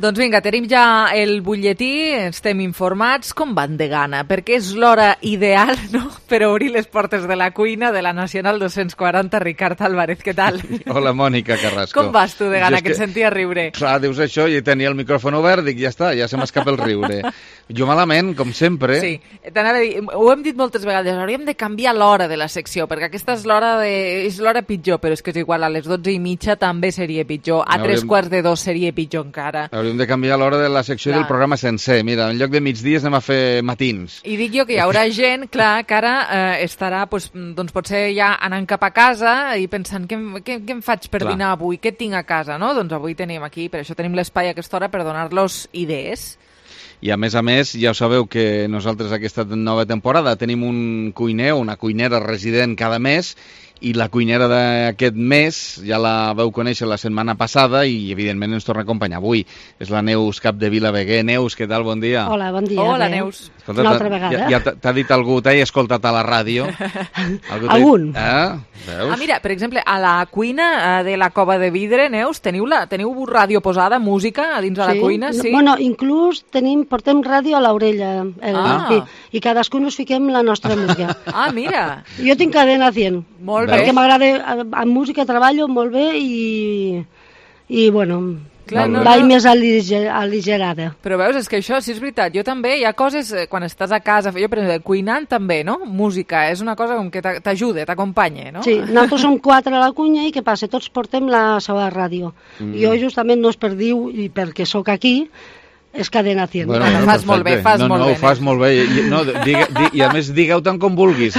Doncs vinga, tenim ja el butlletí, estem informats. Com van de gana? Perquè és l'hora ideal, no?, per obrir les portes de la cuina de la Nacional 240. Ricard Álvarez, què tal? Hola, Mònica Carrasco. Com vas tu de gana, que et sentia riure? Clar, dius això i tenia el micròfon obert, dic, ja està, ja se m'escapa el riure. Jo malament, com sempre. Sí, t'anava a dir, ho hem dit moltes vegades, hauríem de canviar l'hora de la secció, perquè aquesta és l'hora pitjor, però és que és igual, a les 12:30 també seria pitjor, a 3:15 seria pitjor encara. Hauríem de canviar l'hora de la secció del programa sencer. Mira, en lloc de migdies anem a fer matins. I dic jo que hi haurà gent, clar, que ara estarà, doncs potser ja anant cap a casa i pensant, què em faig per dinar avui? Què tinc a casa, no? Doncs avui tenim aquí, per això tenim l'espai a aquesta hora per donar-los idees. I a més, ja ho sabeu que nosaltres aquesta nova temporada tenim un cuiner o una cuinera resident cada mes, i la cuinera d'aquest mes ja la vau conèixer la setmana passada i evidentment ens torna a acompanyar avui. És la Neus Capdevila Veguer. Neus, què tal? Bon dia. Hola, bon dia. Hola, Neus. Escolta, una altra vegada. Ja t'ha dit algú, t'he escoltat a la ràdio? Algun. Veus? Mira, per exemple, a la cuina de la Cova de Vidre, Neus, teniu ràdio posada, música a dins de la cuina? Sí. Bueno, inclús portem ràdio a l'orella i cadascú nos fiquem la nostra música. Mira. Jo tinc cadena 100. Molt bé. Perquè m'agrada, amb música treballo molt bé i bueno, vaig més aligerada. Però veus, és que això sí és veritat. Jo també, hi ha coses, quan estàs a casa, jo per exemple, cuinant també, no? Música, és una cosa com que t'ajuda, t'acompanya, no? Sí, nosaltres som 4 a la cuina i què passa? Tots portem la seva ràdio. Jo justament no és per dir, i perquè sóc aquí, és cadena 100. Bueno, fas molt bé, fas molt bé. No, ho fas molt bé. I a més, digueu tant com vulguis.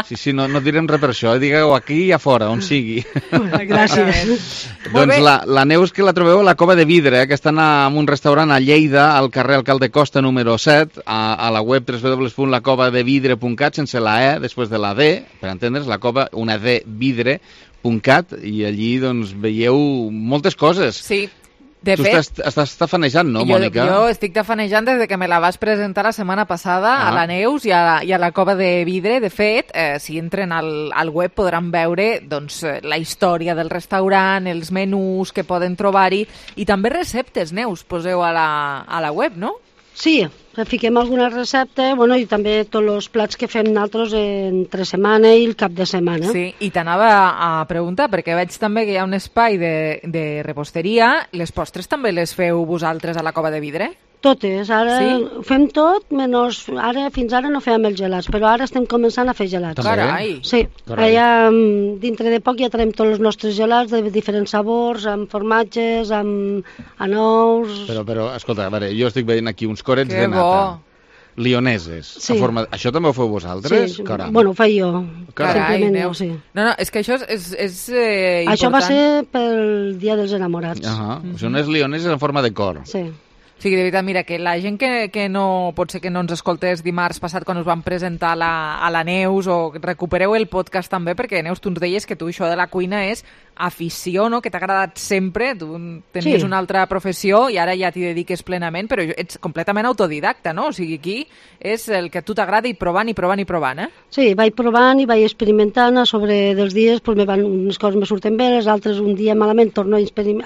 Sí, no direm res per això. Digueu aquí i a fora, on sigui. Gràcies. Doncs la Neus, que la trobeu a la Cova de Vidre, que està en un restaurant a Lleida, al carrer Alcalde Costa número 7, a la web www.lacovadevidre.cat, sense la E, després de la D, per entendre's, la cova, una D, vidre.cat, i allí doncs veieu moltes coses. Sí. Tu estàs tafanejant, no, Mònica? Jo estic tafanejant des que me la vas presentar la setmana passada a la Neus i a la Cova de Vidre. De fet, si entren al web podran veure doncs, la història del restaurant, els menús que poden trobar-hi i també receptes, Neus, poseu a la web, no? Sí, fiquem alguna recepta, i també tots els plats que fem nosaltres entre setmana i el cap de setmana. Sí, i t'anava a preguntar, perquè veig també que hi ha un espai de reposteria. Les postres també les feu vosaltres a la Cova de Vidre? Totes, ara fem tot, menys fins ara no fèiem els gelats, però ara estem començant a fer gelats. Carai! Sí, allà dintre de poc ja tenim tots els nostres gelats de diferents sabors, amb formatges, amb anous... Però, escolta, a veure, jo estic veient aquí uns corets de nata. Lioneses. Sí. Això també ho feu vosaltres? Sí, bueno, ho faig jo. Carai, Neus. No, és que això és important. Això va ser pel Dia dels Enamorats. Són unes lioneses en forma de cor. Sí. Sí, de veritat, mira, que la gent que no, pot ser que no ens escoltés dimarts passat quan us vam presentar a la Neus, o recupereu el podcast també, perquè Neus, tu ens deies que tu això de la cuina és afició, no?, que t'ha agradat sempre, tu tenies una altra professió i ara ja t'hi dediques plenament, però ets completament autodidacta, no? O sigui, aquí és el que a tu t'agrada i provant, eh? Sí, vaig provant i vaig experimentant, a sobre dels dies unes coses me surten bé, les altres un dia malament torno a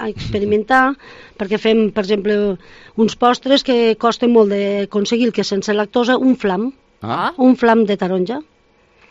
experimentar, perquè fem, per exemple, uns postres que costen molt d'aconseguir, que sense lactosa, un flam de taronja.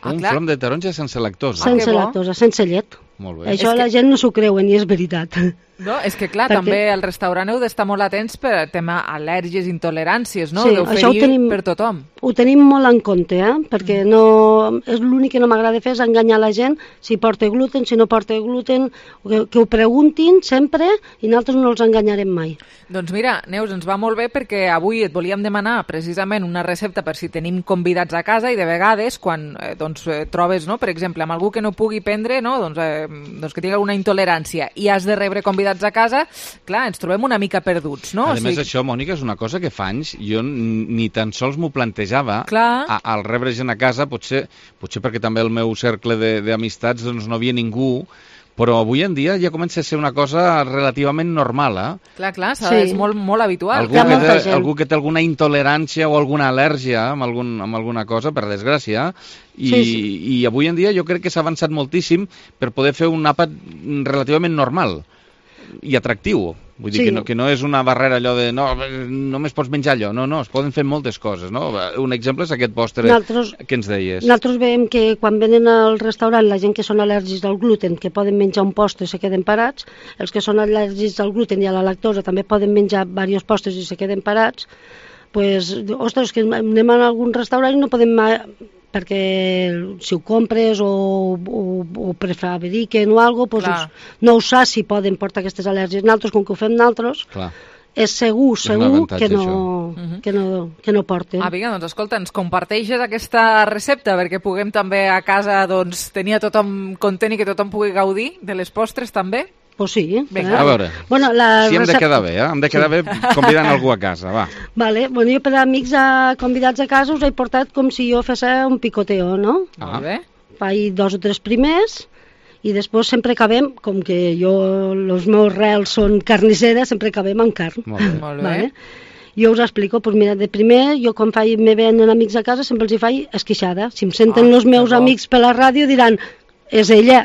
Flam de taronja sense lactosa? Sense lactosa, sense llet. Molt bé. Això la gent no s'ho creuen i és veritat. No, és que clar, també al restaurant heu d'estar molt atents per tema al·lèrgies, intoleràncies, no? Sí, d'oferir per tothom. Ho tenim molt en compte, perquè és l'únic que no m'agrada fer és enganyar la gent si porta gluten, si no porta gluten, que ho preguntin sempre i nosaltres no els enganyarem mai. Doncs mira, Neus, ens va molt bé perquè avui et volíem demanar precisament una recepta per si tenim convidats a casa i de vegades quan trobes, no, per exemple, amb algú que no pugui prendre, no, doncs que tingui alguna intolerància i has de rebre convidats a casa, clar, ens trobem una mica perduts, no? A més, això, Mònica, és una cosa que fa anys jo ni tan sols m'ho plantejava al rebre gent a casa, potser perquè també el meu cercle d'amistats doncs no havia ningú, però avui en dia ja comença a ser una cosa relativament normal, Clar, és molt, molt habitual. Algú que té alguna intolerància o alguna al·lèrgia amb alguna cosa, per desgràcia, i avui en dia jo crec que s'ha avançat moltíssim per poder fer un àpat relativament normal. i atractiu. Vull dir que no és una barrera allò de no, només pots menjar allò. No, es poden fer moltes coses, no? Un exemple és aquest postre que ens deies. Nosaltres veiem que quan venen al restaurant la gent que són al·lèrgics al gluten, que poden menjar un postre i se queden parats, els que són al·lèrgics al gluten i a la lactosa també poden menjar diversos postres i se queden parats, pues, ostres, que anem a algun restaurant i no podem... perquè si ho compres o prefabriquen o alguna cosa, pues, no ho saps si poden portar aquestes al·lèrgies. Nosaltres, com que ho fem nosaltres, és segur que no porten. Vinga, doncs escolta, ens comparteixes aquesta recepta perquè puguem també a casa tenir a tothom content i que tothom pugui gaudir de les postres també? Pues sí. Vinga, a veure, si hem de quedar bé, hem de quedar bé convidant algú a casa, va. Vale, jo per amics convidats a casa us he portat com si jo fes un picoteo, no? Molt bé. Faig 2 o 3 primers i després sempre acabem, com que els meus rels són carnisseres, sempre acabem amb carn. Molt bé. Vale? Jo us explico, doncs mira, de primer, jo quan me venen amics a casa sempre els hi faig esquixada. Si em senten els meus amics per la ràdio diran... és ella,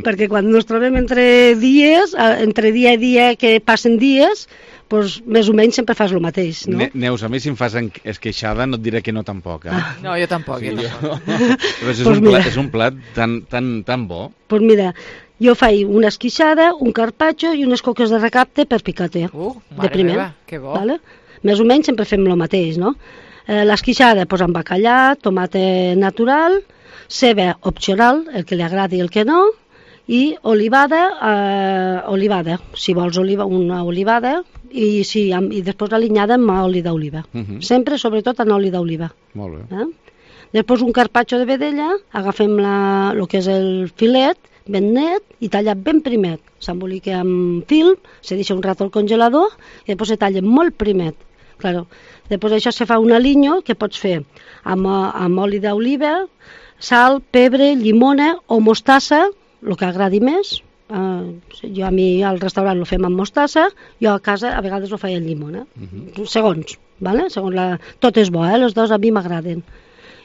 perquè quan ens trobem entre dia i dia que passen dies, doncs més o menys sempre fas el mateix, no? Neus, a mi si em fas esqueixada no et diré que no tampoc, eh? No, jo tampoc. És un plat tan bo. Doncs mira, jo faig una esquixada, un carpaccio i unes coques de recapte per picate, de primer. Meva, que bo. Vale? Més o menys sempre fem el mateix, no? L'esquixada, doncs amb bacallà, tomata natural, ceba opcional, el que li agradi i el que no, i olivada, si vols una olivada, i després alinyada amb oli d'oliva. Sempre, sobretot, en oli d'oliva. Molt bé. Després un carpaccio de vedella, agafem el que és el filet, ben net i tallat ben primet. S'embolica amb film, se deixa un rato al congelador i després se talla molt primet. Claro. Després això se fa un aliño que pots fer amb oli d'oliva, sal, pebre, llimona o mostassa, el que agradi més. Jo a mi al restaurant ho fem amb mostassa, jo a casa a vegades ho faig amb llimona. Segons, ¿vale? Tot és bo, les dues a mi m'agraden.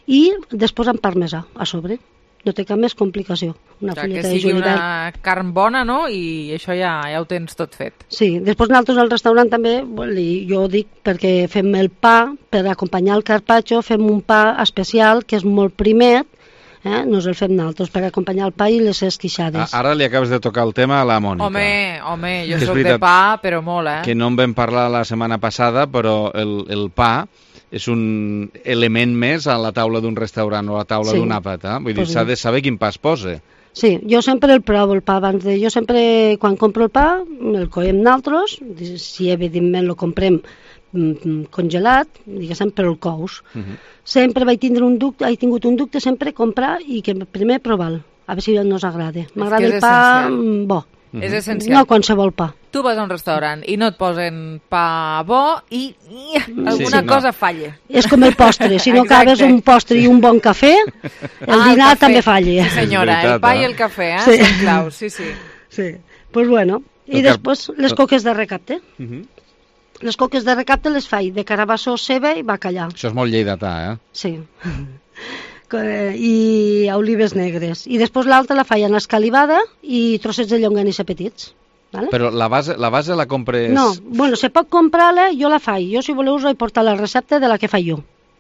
I després amb parmesà a sobre. No té cap més complicació. Que sigui una carn bona, no? I això ja ho tens tot fet. Sí, després nosaltres al restaurant també, jo dic perquè fem el pa, per acompanyar el carpaccio, fem un pa especial que és molt primet, no el fem nosaltres per acompanyar el pa i les esquixades. Ara li acabes de tocar el tema a la Mònica. Home, jo soc de pa, però molt, Que no en vam parlar la setmana passada, però el pa és un element més a la taula d'un restaurant o a la taula d'un àpat. Vull dir, s'ha de saber quin pa es posa. Sí, jo sempre el provo, el pa. Jo sempre, quan compro el pa, el coem nosaltres, si evidentment el comprem congelat, diguéssim, però el cous. Sempre vaig tingut un dubte sempre comprar i que primer provar-lo, a veure si no us agrada. M'agrada el pa bo. És essencial. No qualsevol pa. Tu vas a un restaurant i no et posen pa bo i alguna cosa falla. És com el postre, si no acabes un postre i un bon cafè, el dinar també falla. Sí senyora, el pa i el cafè, són claus, sí. Pues bueno, i després les coques de recapte. Les coques de recapte les faig de carabassó, ceba i bacallà. Això és molt lleidatà, Sí. I olives negres. I després l'altra la faig en escalivada i trossets de llonganissa petits. Vale? Però la base la compres... No, se pot comprar-la, jo la faig. Jo, si voleu, us he portat la recepta de la que faig jo.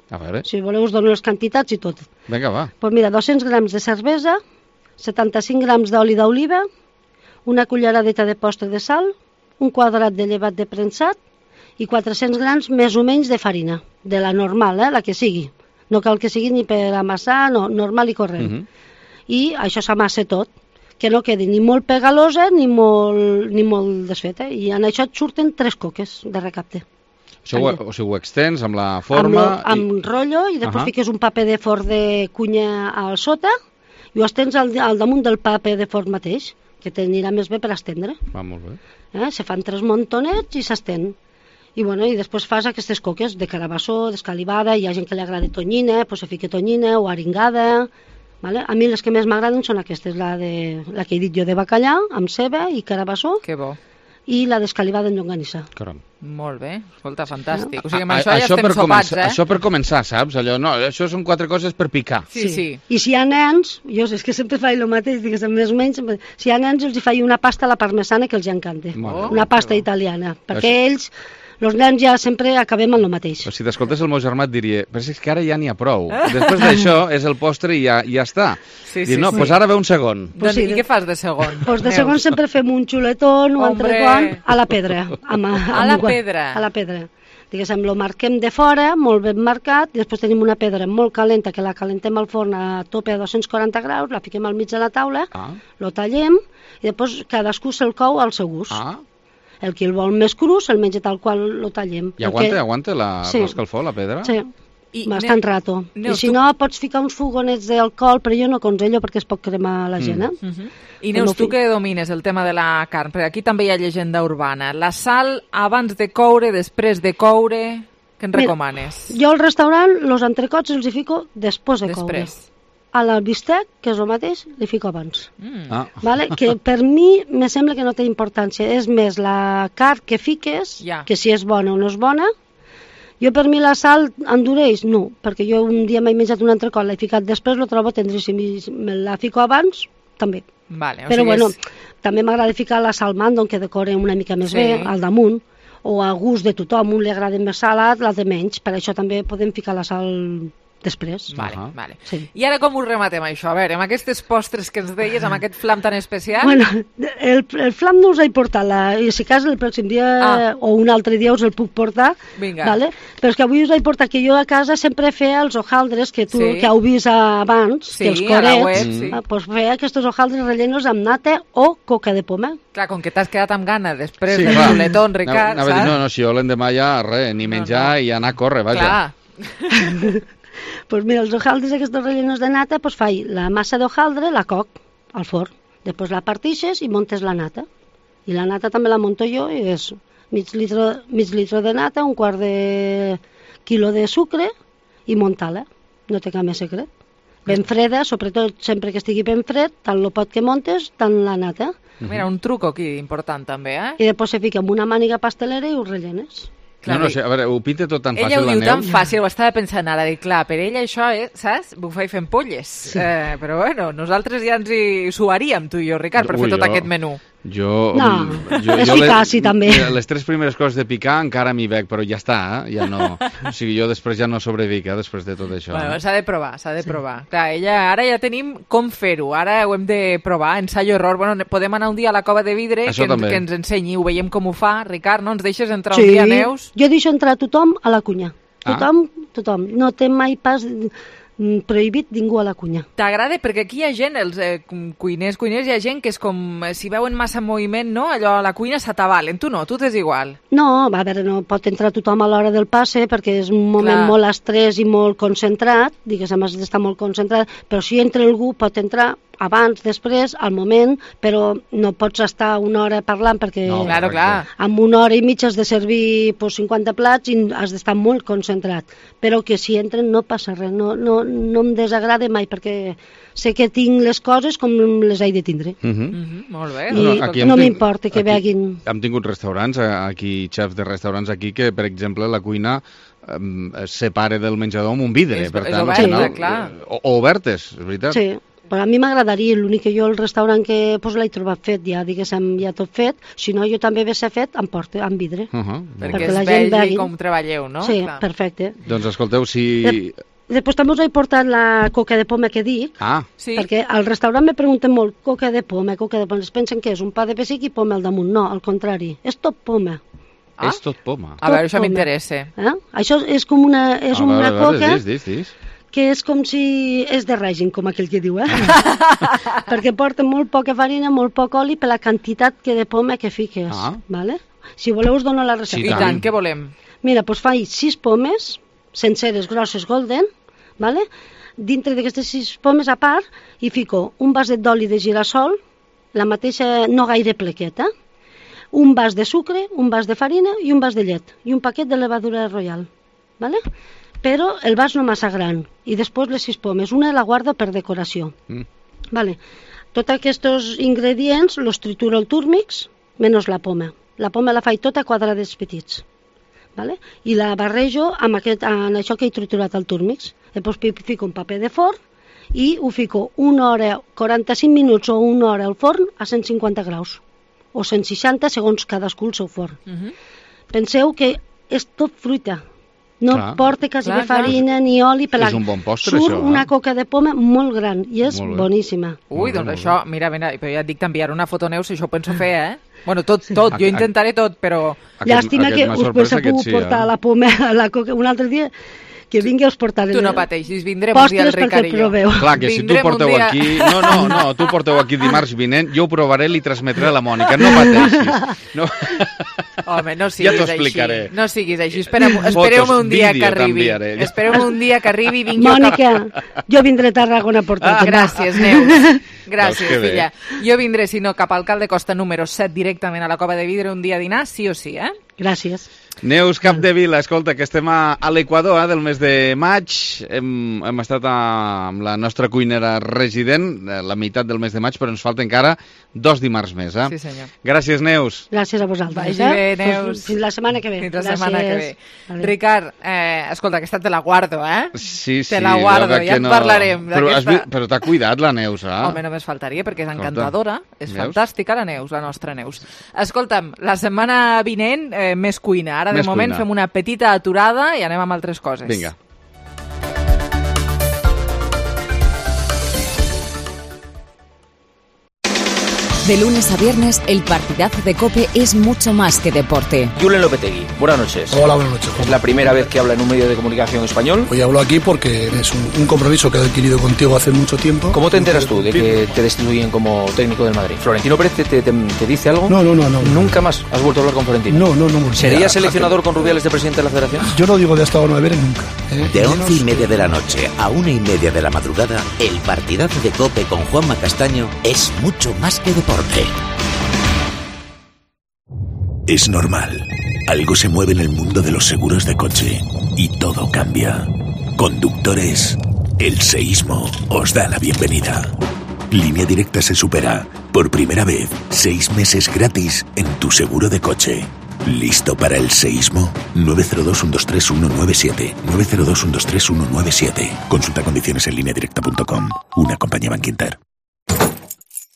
A veure. Si voleu, us dono les quantitats i tot. Vinga, va. Pues mira, 200 grams de cervesa, 75 grams d'oli d'oliva, una culleradeta de postre de sal, un quadrat de llevat de premsat i 400 grams més o menys de farina, de la normal, la que sigui. No cal que sigui ni per amassar, no, normal i corrent. I això s'amassa tot, que no quedi ni molt pegalosa ni molt desfeta. I en això et surten 3 coques de recapte. Això ho extens amb la forma... Amb rotllo i després fiques un paper de forn de cunya al sota i ho estens al damunt del paper de forn mateix, que t'anirà més bé per estendre. Va, molt bé. Se fan 3 montonets i s'estén. I després fas aquestes coques de carabassó, d'escalivada, hi ha gent que li agrada tonyina, doncs se fica tonyina o aringada. Vale? A mi les que més m'agraden són aquestes, la que he dit jo de bacallà, amb ceba i carabassó. Que bo. i la descalivada en llonganissa. Caram. Molt bé, escolta, fantàstic. O sigui, amb això ja estem sopats, Això per començar, saps? Allò, no, això són 4 coses per picar. Sí. I si hi ha nens, jo és que sempre faig el mateix, diguéssim, més o menys, si hi ha nens els hi faig una pasta a la parmesana que els encanta. Una pasta italiana, perquè ells... Els nens ja sempre acabem amb el mateix. Però si t'escoltes el meu germà et diria, però és que ara ja n'hi ha prou. Després d'això és el postre i ja està. Doncs ara ve un segon. I què fas de segon? Doncs de segon sempre fem un xuletón o entrecot a la pedra. A la pedra? A la pedra. Diguéssim, lo marquem de fora, molt ben marcat, i després tenim una pedra molt calenta, que la calentem al forn a tope a 240 graus, la fiquem al mig de la taula, lo tallem, i després cadascú se'l cou al seu gust. El que el vol més cru se'l menja tal qual lo tallem. I aguanta l'escalfor, la pedra? Sí, bastant rato. I si no, pots ficar uns fogonets d'alcohol, però jo no aconsello perquè es pot cremar la gent. I Neus, tu que domines el tema de la carn, perquè aquí també hi ha llegenda urbana. La sal abans de coure, després de coure, què en recomanes? Jo al restaurant, els entrecots els hi fico després de coure. A l'albistec, que és el mateix, li fico abans. Vale? Que per mi me sembla que no té importància. És més la carn que fiques, que si és bona o no és bona. Jo per mi la sal endureix? No, perquè jo un dia m'he menjat un entrecot, l'he ficat després, lo trobo tendríssim, i me la fico abans, també. Però bueno, també m'agrada ficar la sal mando, que decore una mica més bé, al damunt, o a gust de tothom, un li agrada més salat, l'altre menys, per això també podem ficar la sal després. Vale. I ara com ho rematem això? A veure, amb aquestes postres que ens deies, amb aquest flam tan especial... Bueno, el flam no us he portat, i si cas el pròxim dia o un altre dia us el puc portar, vale? Però és que avui us he portat que jo a casa sempre feia els hojaldres que heu vist abans, que els corets, doncs feia aquests hojaldres rellenos amb nata o coca de poma. Clar, com que t'has quedat amb gana després del xuletón, Ricard, saps? No, si jo l'endemà ja res, ni menjar i anar a córrer, vaja. Clar. Pues mira, els hojaldres aquests rellenos de nata, pues faig la massa d'hojaldre, la coc al forn, després la partixes i montes la nata. I la nata també la monto jo, i és mig litre de nata, un quart de quilo de sucre i muntar-la. No té cap més secret. Ben freda, sobretot sempre que estigui ben fred, tant el pot que montes, tant la nata. Mira, un truc aquí important també, I després se fica amb una màniga pastelera i ho rellenes. No, a veure, ho pinta tot tan fàcil, la Neus. Ella ho diu tan fàcil, ho estava pensant ara, dic, clar, per ella això, saps? Bufar i fent polles. Però bueno, nosaltres ja ens hi suaríem, tu i jo, Ricard, per fer tot aquest menú. És eficaç, també. Les 3 primeres coses de picar encara m'hi veig, però ja està, ja no... O sigui, jo després ja no sobrevic, després de tot això. Bueno, s'ha de provar. Clar, ara ja tenim com fer-ho, ara ho hem de provar, ensaio-error. Bueno, podem anar un dia a la Cova de Vidre, que ens ensenyi, ho veiem com ho fa. Ricard, no ens deixes entrar un dia, Neus? Jo deixo entrar tothom a la cuina. Tothom. No té mai pas... prohibit ningú a la cuina. T'agrada? Perquè aquí hi ha gent, els cuiners, hi ha gent que és com, si veuen massa moviment, no? Allò a la cuina s'atabalen. Tu no, tu t'és igual. No, a veure, no pot entrar tothom a l'hora del passe perquè és un moment molt estrès i molt concentrat, diguéssim, has d'estar molt concentrat, però si entra algú pot entrar abans, després, al moment, però no pots estar una hora parlant perquè amb una hora i mitja has de servir 50 plats i has d'estar molt concentrat, però que si entren no passa res, no em desagrada mai perquè sé que tinc les coses com les he de tindre. Molt bé. I no m'importa que veguin. Hem tingut restaurants, aquí, xefs de restaurants aquí, que per exemple la cuina es separa del menjador amb un vidre, per tant, o obertes, és veritat? Sí. Però a mi m'agradaria, l'únic que jo el restaurant que l'he trobat fet, ja diguéssim, ja tot fet, si no jo també hagués fet en porta, en vidre. Perquè es vegi com treballeu, no? Sí, perfecte. Doncs escolteu, si... Després també us he portat la coca de poma que dic, perquè al restaurant me pregunten molt, coca de poma, es pensen que és un pa de pessic i poma al damunt. No, al contrari, és tot poma. És tot poma. A veure, això m'interessa. Això és com una coca... Dis. Que és com si és de règim, com aquell que diu, perquè porta molt poca farina, molt poc oli per la quantitat de poma que fiques, vale? Si voleu us dono la recepta. I tant, què volem? Mira, doncs faig 6 pomes, senceres, grosses, golden, vale? Dintre d'aquestes 6 pomes a part, hi fico un vaset d'oli de girassol, la mateixa, no gaire plequeta, un vas de sucre, un vas de farina i un vas de llet, i un paquet de levadura royal, vale? Però el vas no massa gran, i després les 6 pomes, una la guardo per decoració. Vale. Tots aquests ingredients los trituro al túrmix, menys la poma. la poma la faig tota a quadrats petits, vale? I la barrejo amb en això que he triturat el túrmix. Després fico un paper de forn i ho fico 1 hora, 45 minuts o 1 hora al forn a 150 graus, o 160 segons cadascú el seu forn. Penseu que és tot fruita, no porta quasi farina ni oli. És un bon postre, surt això. Una coca de poma molt gran i és boníssima. Ui, doncs això, mira, però ja et dic, t'enviaré una foto, Neus, si això ho penso fer, Bueno, tot, jo intentaré tot, però... Llàstima que us pensa pogut portar la poma, la coca, un altre dia... Que vingui a us portaré. Tu no pateixis, vindrem un dia el Ricard i jo. Clar, que si tu porteu aquí... No, tu porteu aquí dimarts vinent, jo ho provaré i li transmetré a la Mònica, no pateixis. No. Home, no siguis ja t'ho explicaré. Així. No siguis així, espereu-me un dia que arribi. Espereu-me un dia que arribi i vingui Mònica, jo vindré a Tarragona a portar-te. Gràcies, Neus. Gràcies, filla. Jo vindré, si no, cap al Alcalde Costa número 7 directament a la Cova de Vidre un dia a dinar, sí o sí, Gràcies. Neus Capdevila, escolta, que estem a l'Equador del mes de maig. Hem estat amb la nostra cuinera resident la meitat del mes de maig, però ens falta encara 2 dimarts més. Sí, senyor. Gràcies, Neus. Gràcies a vosaltres. Vagi bé, Neus. Fins la setmana que ve. Fins la setmana que ve. Ricard, escolta, aquesta te la guardo, Sí, te la guardo, ja en parlarem. Però t'ha cuidat la Neus, Home, només faltaria, perquè és encantadora. És fantàstica, la Neus, la nostra Neus. Escolta'm, la setmana vinent, més cuina. Ara, de moment, fem una petita aturada i anem amb altres coses. Vinga. De lunes a viernes, el partidazo de COPE es mucho más que deporte. Julen Lopetegui, buenas noches. Hola, buenas noches. ¿Es la primera vez que habla en un medio de comunicación español? Hoy hablo aquí porque es un compromiso que he adquirido contigo hace mucho tiempo. ¿Cómo te enteras tú de que te destituyen como técnico del Madrid? ¿Florentino Pérez te dice algo? No. ¿Nunca más has vuelto a hablar con Florentino? No. ¿Serías seleccionador con Rubiales de presidente de la Federación? Yo no digo de hasta ahora 9 nunca. De 11:30 de la noche a 1:30 de la madrugada, el partidazo de COPE con Juanma Castaño es mucho más que deporte. Es normal. Algo se mueve en el mundo de los seguros de coche y todo cambia. Conductores, el seísmo os da la bienvenida. Línea Directa se supera. Por primera vez, 6 meses gratis en tu seguro de coche. ¿Listo para el seísmo? 902-123-197. 902-123-197. Consulta condiciones en lineadirecta.com. Una compañía Bankinter.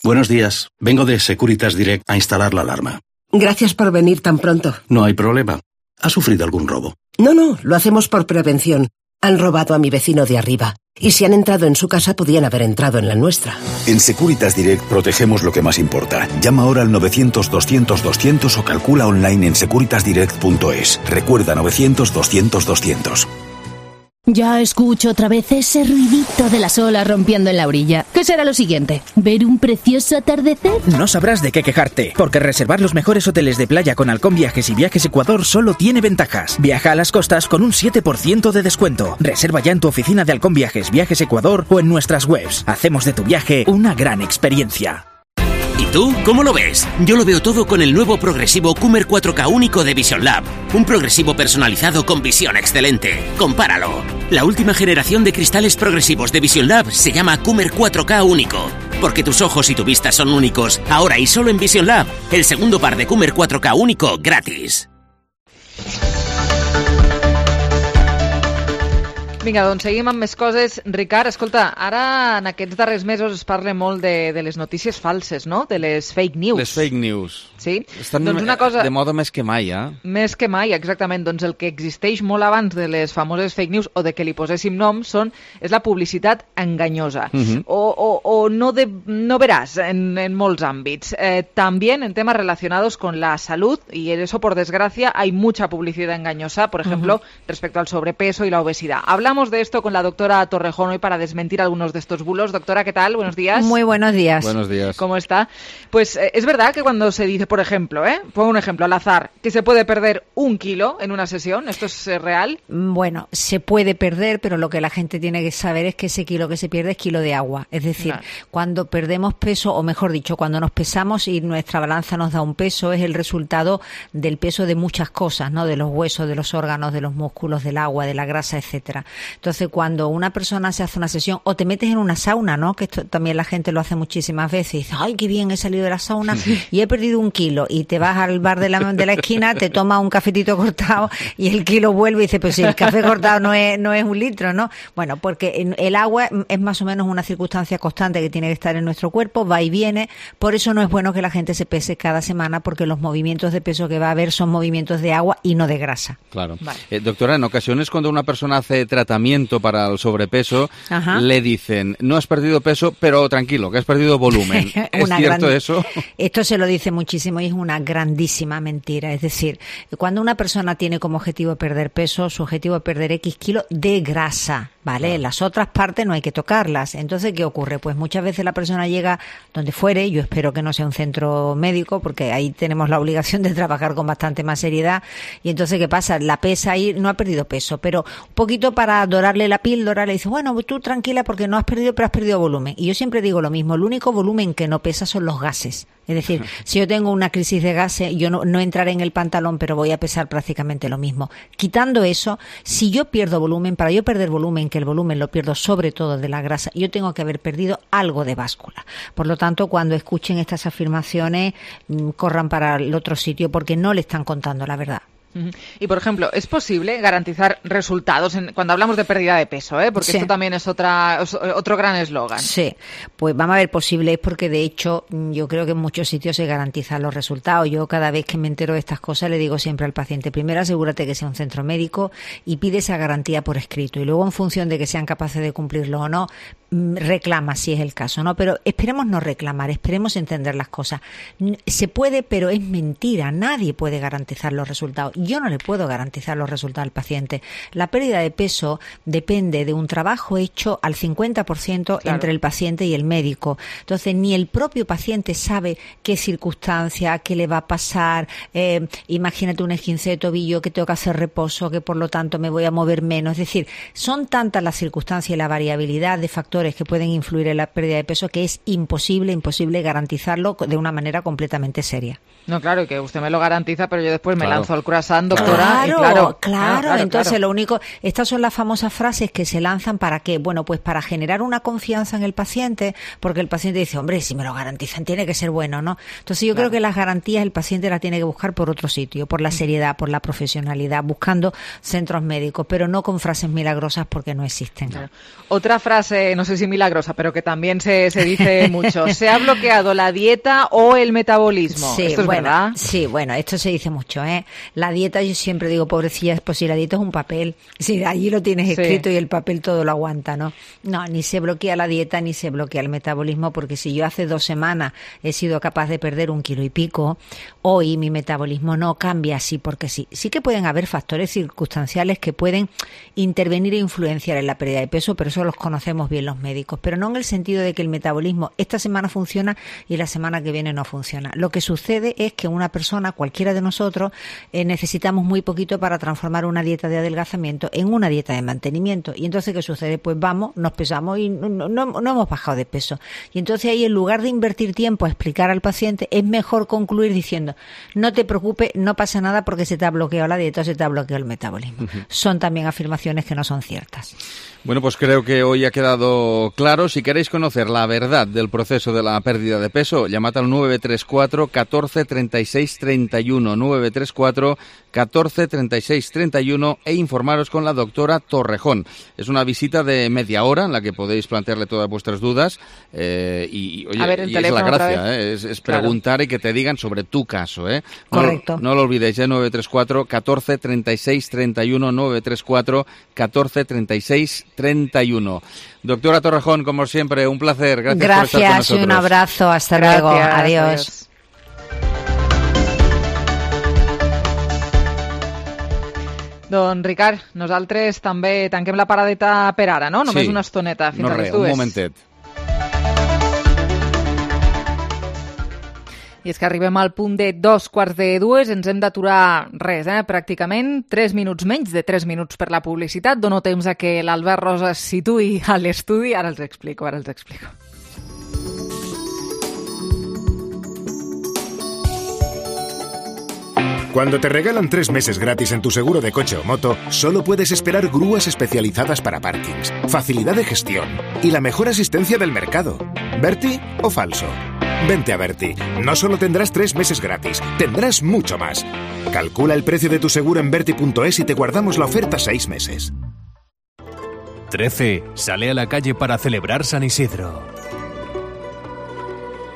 Buenos días. Vengo de Securitas Direct a instalar la alarma. Gracias por venir tan pronto. No hay problema. ¿Ha sufrido algún robo? No, lo hacemos por prevención. Han robado a mi vecino de arriba. Y si han entrado en su casa, podían haber entrado en la nuestra. En Securitas Direct protegemos lo que más importa. Llama ahora al 900-200-200 o calcula online en securitasdirect.es. Recuerda 900-200-200. Ya escucho otra vez ese ruidito de las olas rompiendo en la orilla. ¿Qué será lo siguiente? ¿Ver un precioso atardecer? No sabrás de qué quejarte, porque reservar los mejores hoteles de playa con Halcón Viajes y Viajes Ecuador solo tiene ventajas. Viaja a las costas con un 7% de descuento. Reserva ya en tu oficina de Halcón Viajes, Viajes Ecuador o en nuestras webs. Hacemos de tu viaje una gran experiencia. ¿Y tú cómo lo ves? Yo lo veo todo con el nuevo progresivo Coomer 4K único de Vision Lab. Un progresivo personalizado con visión excelente. Compáralo. La última generación de cristales progresivos de Vision Lab se llama Coomer 4K único. Porque tus ojos y tu vista son únicos. Ahora y solo en Vision Lab. El segundo par de Coomer 4K único gratis. Vinga, doncs seguim amb més coses. Ricard, escolta, ara en aquests darrers mesos es parla molt de les notícies falses, no? De les fake news. Les fake news. Sí? Estan doncs una cosa... de moda més que mai, Més que mai, exactament. Doncs el que existeix molt abans de les famoses fake news o de que li poséssim nom és la publicitat enganyosa. O no verás en molts àmbits. También en temas relacionados con la salud, y eso por desgracia hay mucha publicidad engañosa, por ejemplo, respecto al sobrepeso y la obesidad. Hablamos de esto con la doctora Torrejón hoy para desmentir algunos de estos bulos. Doctora, ¿qué tal? Buenos días. Muy buenos días. Buenos días. ¿Cómo está? Pues es verdad que cuando se dice, por ejemplo, pongo un ejemplo al azar, que se puede perder 1 kilo en una sesión, ¿esto es real? Bueno, se puede perder, pero lo que la gente tiene que saber es que ese kilo que se pierde es kilo de agua. Es decir, cuando perdemos peso, o mejor dicho, cuando nos pesamos y nuestra balanza nos da un peso, es el resultado del peso de muchas cosas, ¿no? De los huesos, de los órganos, de los músculos, del agua, de la grasa, etcétera. Entonces, cuando una persona se hace una sesión, o te metes en una sauna, ¿no? Que esto también la gente lo hace muchísimas veces, y dice, ay, qué bien, he salido de la sauna y he perdido 1 kilo, y te vas al bar de la esquina, te tomas un cafetito cortado y el kilo vuelve y dice, pues si el café cortado no es 1 litro, ¿no? Bueno, porque el agua es más o menos una circunstancia constante que tiene que estar en nuestro cuerpo, va y viene, por eso no es bueno que la gente se pese cada semana, porque los movimientos de peso que va a haber son movimientos de agua y no de grasa. Claro. Doctora, en ocasiones cuando una persona hace tratamiento para el sobrepeso, le dicen, no has perdido peso, pero tranquilo, que has perdido volumen. ¿Es cierto eso? Esto se lo dice muchísimo y es una grandísima mentira. Es decir, cuando una persona tiene como objetivo perder peso, su objetivo es perder X kilos de grasa, ¿vale? Claro. Las otras partes no hay que tocarlas. Entonces, ¿qué ocurre? Pues muchas veces la persona llega donde fuere, yo espero que no sea un centro médico, porque ahí tenemos la obligación de trabajar con bastante más seriedad, y entonces, ¿qué pasa? La pesa ahí, no ha perdido peso, pero un poquito para dorarle la píldora, le dice, bueno, tú tranquila porque no has perdido, pero has perdido volumen. Y yo siempre digo lo mismo, el único volumen que no pesa son los gases. Es decir, si yo tengo una crisis de gases, yo no entraré en el pantalón, pero voy a pesar prácticamente lo mismo. Quitando eso, si yo pierdo volumen, para yo perder volumen, que el volumen lo pierdo sobre todo de la grasa, yo tengo que haber perdido algo de báscula. Por lo tanto, cuando escuchen estas afirmaciones, corran para el otro sitio porque no le están contando la verdad. Y, por ejemplo, ¿es posible garantizar resultados cuando hablamos de pérdida de peso? Porque esto también es otro gran eslogan. Sí, pues vamos a ver, posible es porque, de hecho, yo creo que en muchos sitios se garantizan los resultados. Yo cada vez que me entero de estas cosas le digo siempre al paciente, primero asegúrate que sea un centro médico y pide esa garantía por escrito. Y luego, en función de que sean capaces de cumplirlo o no, reclama si es el caso, ¿no? Pero esperemos no reclamar, esperemos entender las cosas. Se puede, pero es mentira. Nadie puede garantizar los resultados. Yo no le puedo garantizar los resultados al paciente. La pérdida de peso depende de un trabajo hecho al 50% entre el paciente y el médico. Entonces, ni el propio paciente sabe qué circunstancia, qué le va a pasar. Imagínate un esguince de tobillo, que tengo que hacer reposo, que por lo tanto me voy a mover menos. Es decir, son tantas las circunstancias y la variabilidad de factores que pueden influir en la pérdida de peso que es imposible garantizarlo de una manera completamente seria. No, claro, que usted me lo garantiza, pero yo después me lanzo al croissant, doctora. Claro. Entonces, lo único, estas son las famosas frases que se lanzan para qué, bueno, pues para generar una confianza en el paciente, porque el paciente dice, hombre, si me lo garantizan tiene que ser bueno, ¿no? Entonces, yo creo que las garantías el paciente las tiene que buscar por otro sitio, por la seriedad, por la profesionalidad, buscando centros médicos, pero no con frases milagrosas porque no existen. Claro. Otra frase, no sé si milagrosa, pero que también se dice mucho, ¿se ha bloqueado la dieta o el metabolismo? Sí, ¿Esto es verdad? Sí, bueno, esto se dice mucho, ¿eh? La dieta, yo siempre digo, pobrecilla, pues si la dieta es un papel, si allí lo tienes escrito y el papel todo lo aguanta, ¿no? No, ni se bloquea la dieta ni se bloquea el metabolismo, porque si yo hace 2 semanas he sido capaz de perder 1 kilo y pico, hoy mi metabolismo no cambia así porque sí. Sí que pueden haber factores circunstanciales que pueden intervenir e influenciar en la pérdida de peso, pero eso los conocemos bien los médicos, pero no en el sentido de que el metabolismo esta semana funciona y la semana que viene no funciona. Lo que sucede es que una persona, cualquiera de nosotros, necesitamos muy poquito para transformar una dieta de adelgazamiento en una dieta de mantenimiento. Y entonces, ¿qué sucede? Pues vamos, nos pesamos y no hemos bajado de peso. Y entonces ahí, en lugar de invertir tiempo a explicar al paciente, es mejor concluir diciendo, no te preocupes, no pasa nada porque se te ha bloqueado la dieta o se te ha bloqueado el metabolismo. Son también afirmaciones que no son ciertas. Bueno, pues creo que hoy ha quedado claro. Si queréis conocer la verdad del proceso de la pérdida de peso, llamad al 934 14 36 31, 934 14 36 31 e informaros con la doctora Torrejón. Es una visita de media hora en la que podéis plantearle todas vuestras dudas y es la gracia, es preguntar y que te digan sobre tu caso. Correcto. No lo olvidéis, 934 14 36 31, 934 14 36 31. Doctora Torrejón, como siempre, un placer. Gracias por estar con nosotros. Y un abrazo. Hasta luego. Adiós. Don Ricard, nosaltres també tanquem la paradeta per ara, no? Només una estoneta fins a les 2. Un momentet. I és que arribem al punt de 2:45, ens hem d'aturar pràcticament 3 minuts menys de 3 minuts per la publicitat. Dono temps a que l'Albert Rosa es situï a l'estudi. Ara els explico. Cuando te regalan 3 meses gratis en tu seguro de coche o moto, solo puedes esperar grúas especializadas para parkings, facilidad de gestión y la mejor asistencia del mercado. ¿Berti o falso? Vente a Berti. No solo tendrás 3 meses gratis, tendrás mucho más. Calcula el precio de tu seguro en berti.es y te guardamos la oferta 6 meses. 13 sale a la calle para celebrar San Isidro.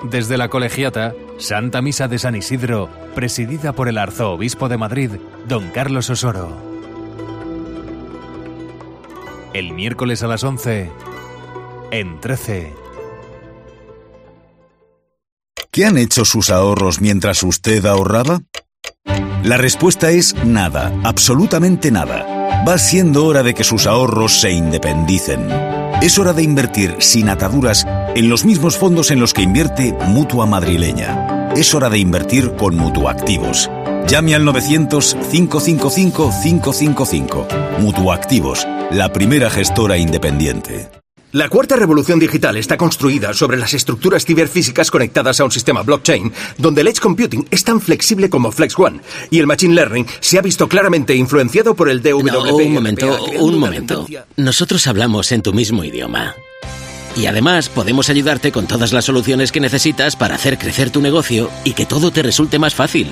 Desde la Colegiata, Santa Misa de San Isidro, presidida por el arzobispo de Madrid, don Carlos Osoro. El miércoles a las 11, en 13. ¿Qué han hecho sus ahorros mientras usted ahorraba? La respuesta es nada, absolutamente nada. Va siendo hora de que sus ahorros se independicen. Es hora de invertir sin ataduras en los mismos fondos en los que invierte Mutua Madrileña. Es hora de invertir con Mutuactivos. Llame al 900-555-555. Mutuactivos, la primera gestora independiente. La cuarta revolución digital está construida sobre las estructuras ciberfísicas conectadas a un sistema blockchain, donde el edge computing es tan flexible como Flex One, y el machine learning se ha visto claramente influenciado por el DWP. No, un momento. Nosotros hablamos en tu mismo idioma. Y además podemos ayudarte con todas las soluciones que necesitas para hacer crecer tu negocio y que todo te resulte más fácil.